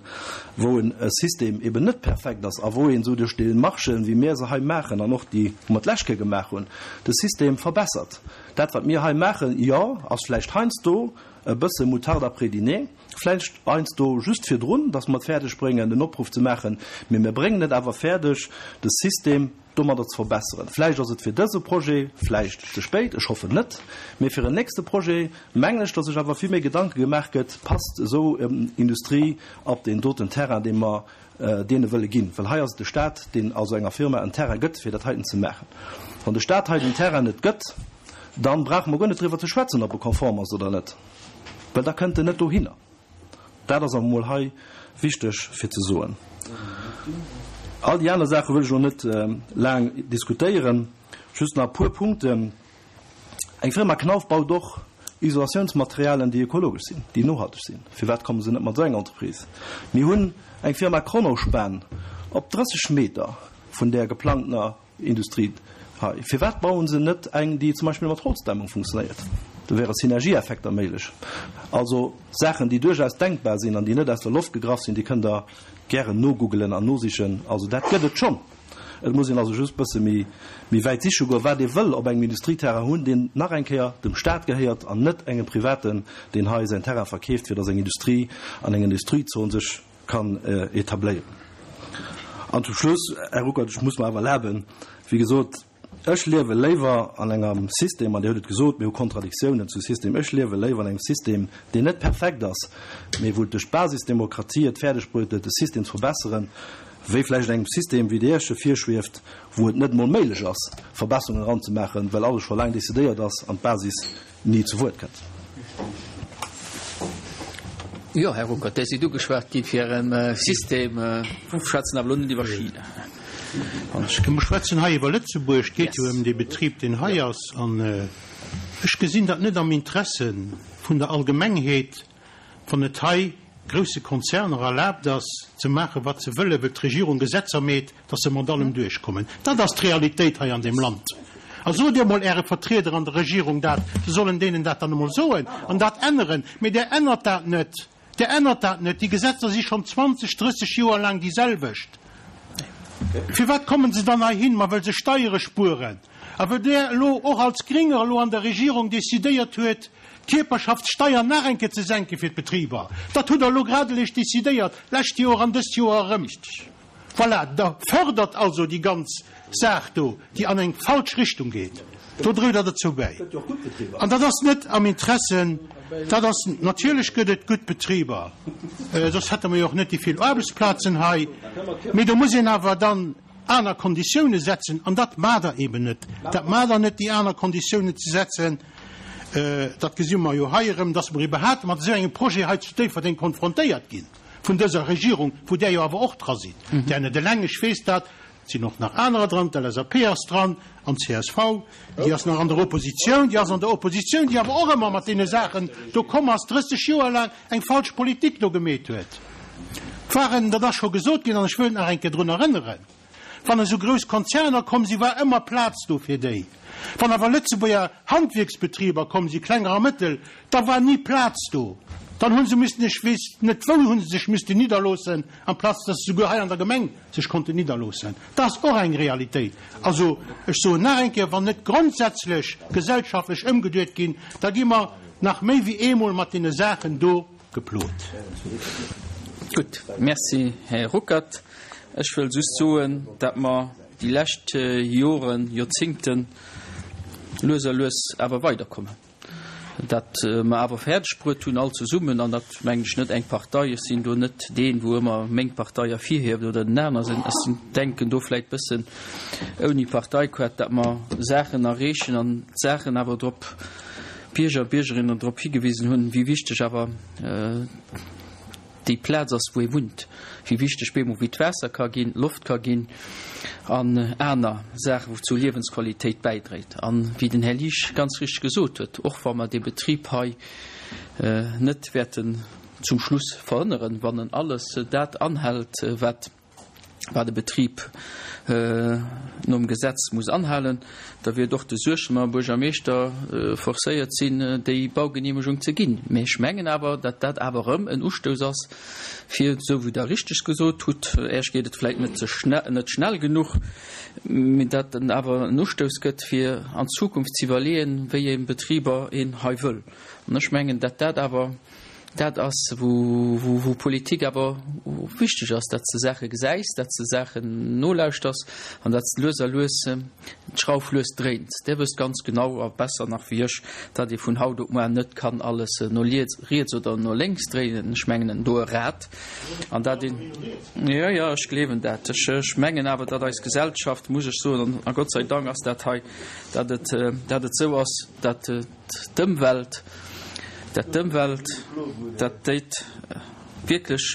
[SPEAKER 2] wou en System eben net perfekt ass a wou een esou duerch Demarchen, wéi mir se hei maachen an och déi, wou mer d'lescht Kéier gemaach hunn, de System verbessert. Dat, wat mir hei maachen, jo, ass vläicht heiansdo e bësse Moutarde après dîner, vläicht heiansdo just virdrun, dass mer et fäerdeg bréngen, en Opruff ze maachen, mee mir bréngen et awer fäerdeg, de System domadder ze verbesseren. Vläicht ass et fir dëse Projet vläicht ze spéit, ech hoffen net, mee fir en nächste Projet mengen ech, datt sech awer vill méi Gedanke gemaach gëtt, passt esou Industrie op deen doten Terrain, dee mer deene wëlle ginn. Well hei ass et de Stat, deen also enger Firma en Terrain gëtt, fir dat heiten ze maachen. Wann de Stat hei den Terrain net gëtt, da brauche mer guer net driwwer ze schwätzen, ob e konform ass oder net, well da kënnt en net dohinner. Dat ass awer emol hei wichteg fir ze soen. All déi aner Saache wëll ech elo net laang diskutéieren, just nach e puer Punkten. Eng Firma Knauf baut och Isolatiounsmaterialien, déi ökologesch sinn, déi nohalteg sinn. Firwat komme se net mat esou enger Entreprise? Mir hunn eng Firma Kronospan op 30 Meter vun där geplangtener Industrie hei. Firwat bauen se net eng, déi zum Beispill mat Holzdämmung funktionéiert? Do wäre Synergieeffekter méiglech. Also Saachen, déi duerchaus denkbar sinn an déi net aus der Loft gegraff sinn, déi kënnt Der gären nogoogelen an nosichen. Also dat gëtt et schonn. Et muss een also just e bësse méi wäit siche goen, wat ee wëll op engem Industrieterrain hunn, deen nach eng Kéier dem Stat gehéiert an net engem Privaten, deen hei säin Terrain verkeeft, fir datt eng Industrie an eng Industriezon sech kann etabléieren. An zum Schluss, Här Ruckert, ech muss mer awer erlaben, wéi gesot, Ech liewe léiwer an engem System, an Dir hutt et gesot, mir hu Kontradiktiounen zu System, ech liewe léiwer an engem System, deen net perfekt ass, mee wou et duerch d'Basisdemokratie et fäerdeg bruet huet, de System ze verbesseren, wéi vläicht an engem System, wéi Dir Iech e virschwieft, wou et net emol méiglech ass, Verbesserungen eranzemaachen, well alles scho laang decidéiert ass an d'Basis ni zu Wuert kënnt.
[SPEAKER 4] Jo, Här Ruckert, Dir sidd ugeschwat gi fir e System. Mir schwätzen awer elo net iwwer China.
[SPEAKER 9] Mir schwätzen hei iwwer Lëtzebuerg. Et geet jo ëm dee Betrib, deen hei ass. An ech gesinn dat net am Interesse vun der Allgemengheet, wann et hei grousse Konzerner erlaabt ass, ze maachen, wat se wëllen, well d'Regierung Gesetzer meet, dass se mat allem duerchkommen. Dat ass d'Realitéit hei an deem Land. A sot Dir emol Äre Vertrieder an der Regierung dat, se sollen deenen dat dann emol soen an dat änneren. Mee Der ännert dat net. Der ännert dat net. Déi Gesetzer si schonn 20, 30 Joer laang déi selwecht. Firwat kommen se dann heihin? Ma well se Steiere spueren. A well Der elo och als Gringer elo an der Regierung decidéiert huet, d'Kierperschaftssteier nach eng Kéier ze senke fir d'Betriber. Dat hutt Der elo grad eréischt decidéiert, d'lescht Joer an dëst Joer erëm. Voilà, Der fördert also déi ganz Saach do, déi an eng falsch Richtung geet. Do drout Der dozou bäi. An dat ass net am Interesse, dat ass, natierlech gëtt et gutt Betriber, soss hätte mer jo och net déi vill Aarbechtsplazen hei, mee do muss een awer dann aner Konditioune setzen, an dat maacht Der eben net. Dat maacht Der net, déi aner Konditiounen ze setzen. Dat gesi mer jo hei erëm, dass mer iwwerhaapt mat esou engem Projet hei zu Déifferdeng konfrontéiert ginn. Vun dëser Regierung, wou Der jo awer och dra sidd, Der net eleng, ech weess dat, et sinn och nach anerer dran, d'LSAP ass dran an d'CSV, déi ass nach an der Oppositioun, déi ass an der Oppositioun, déi awer och ëmmer mat deene Saachen do komm ass, 30 Joer laang eng falsch Politik do gemeet huet. Waren, dat ass scho gesot ginn an ech wëll nach eng Kéier drun erënneren, Wann esou grouss Konzerner komm sinn, war ëmmer Plaz do fir déi. Wann awer Lëtzebuerger Handwierksbetriber komm sinn, klenger a mëttel, da war ni Plaz do. Dann hu se müssen, ech weess net wou, hu se sech müssten nidderloossen, amplaz dass se souguer hei an der Gemeng sech konnten nidderloossen. Dat ass och eng Realitéit. Also, ech soen nach eng Kéier, wann net grondsätzlech gesellschaftlech ëmgeduet ginn, da gi mer nach méi wéi eemol mat deene Saachen do geplot.
[SPEAKER 1] Gutt, Merci, Här Ruckert. Ech wëll just soen, dat mer déi lescht Joren, Joerzingten lues a lues awer weiderkommen, dat mer awer fäerdeg bruet hunn all zesummen, an dat mengen ech net eng Partei, ech sinn do net deen, wou ëmmer meng Partei ervirhieft oder den aner, ech sinn, denken do vläicht bëssen ouni Parteiquett, dat mer Saachen erreechen an d'Saachen awer drop, d'Bierger a Biergerinnen drop higewisen hunn, wéi wichteg awer déi Plaz ass, wou ee wunnt, wéi wichteg bemol wéi d'Waasser ka ginn, d'Loft ka ginn an aner Saachen, wou zur Liewensqualitéit bäidréit. An wéi den Här Liesch ganz richteg gesot huet, och wa mer dee Betrib hei net wäerten zum Schluss verhënneren, wann en alles dat anhält, wat wat e Betrib nom Gesetz muss anhalen, da wäert och de Suessemer Buergermeeschter forcéiert sinn, déi Baugenehmegung ze ginn. Mä ech mengen awer, datt dat awer erëm en Ustouss ass, fir, esou wéi Der richteg gesot hutt, Äech geet et vläicht net ze schnell, net schnell genuch, mä datt en awer en Ustouss gëtt, fir an Zukunft ze iwwerleeën, wéi ee Betriber een hei wëll. An ech mengen, datt dat awer Dat ass, wou Politik awer wichteg ass, datt s de Saache gesäis, datt s de Saachen nolauschters an datt s de lues a lues d'Schrauf lues dréins. Dir wësst ganz genau a besser nach wéi ech, datt ee vun haut op muar net kann alles no riets oder no lénks dréinen. Ech mengen do e Rad an dat een, jo, jo, ech gleewen dat. Ech mengen awer, datt eis Gesellschaft, muss ech soen, a Gott sei Dank ass dat hei, datt et, datt et esou ass, datt, D'Ëmwelt, dat d'Ëmwelt, dat déit wierklech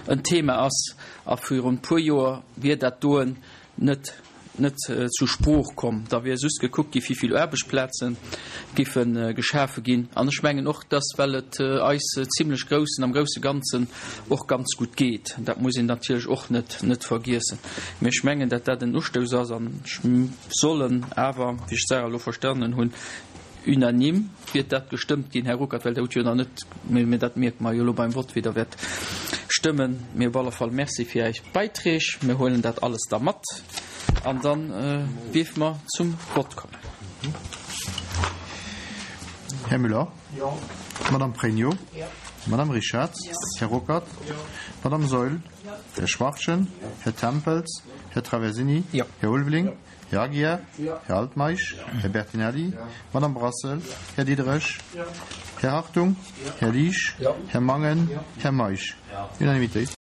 [SPEAKER 1] en Thema ass a virun e puer Joer wier dat doen net net zu Sprooch komm. Da wier just gekuckt gi wéi vill Aarbechtsplaze giffe geschafe ginn. An ech mengen och, dass well et eis zimlech groussen am grousse Ganzen och ganz gutt geet, dat muss een natierlech och net net vergiessen. Mee ech mengen, dat dat en Ustouss ass an ech sollen awer, wéi ech d'Sarah elo verstanen hunn, unanime wier dat gestëmmt ginn, Här Ruckert, well Der hutt jo nach net, mä dat mierke mer jo elo beim Vott, wéi Der wäert stëmmen. Mee op alle Fall Merci fir Är Beiträg. Mir huelen dat alles da mat an da dierfe mer zum Vott kommen.
[SPEAKER 10] Här Müller? Jo. Madame Pregno? Jo. Madame Richarz. Här Ruckert. Madame Saeul. Här Schwachtgen. Här Tempels. Här Traversini. Här Ulveling. Här Aguiar. Här Altmeisch. Här Bertinelli. Madame Brassel. Här Diderich. Här Hartung. Här Liesch. Här Mangen. Här Meisch. Unanimitéit.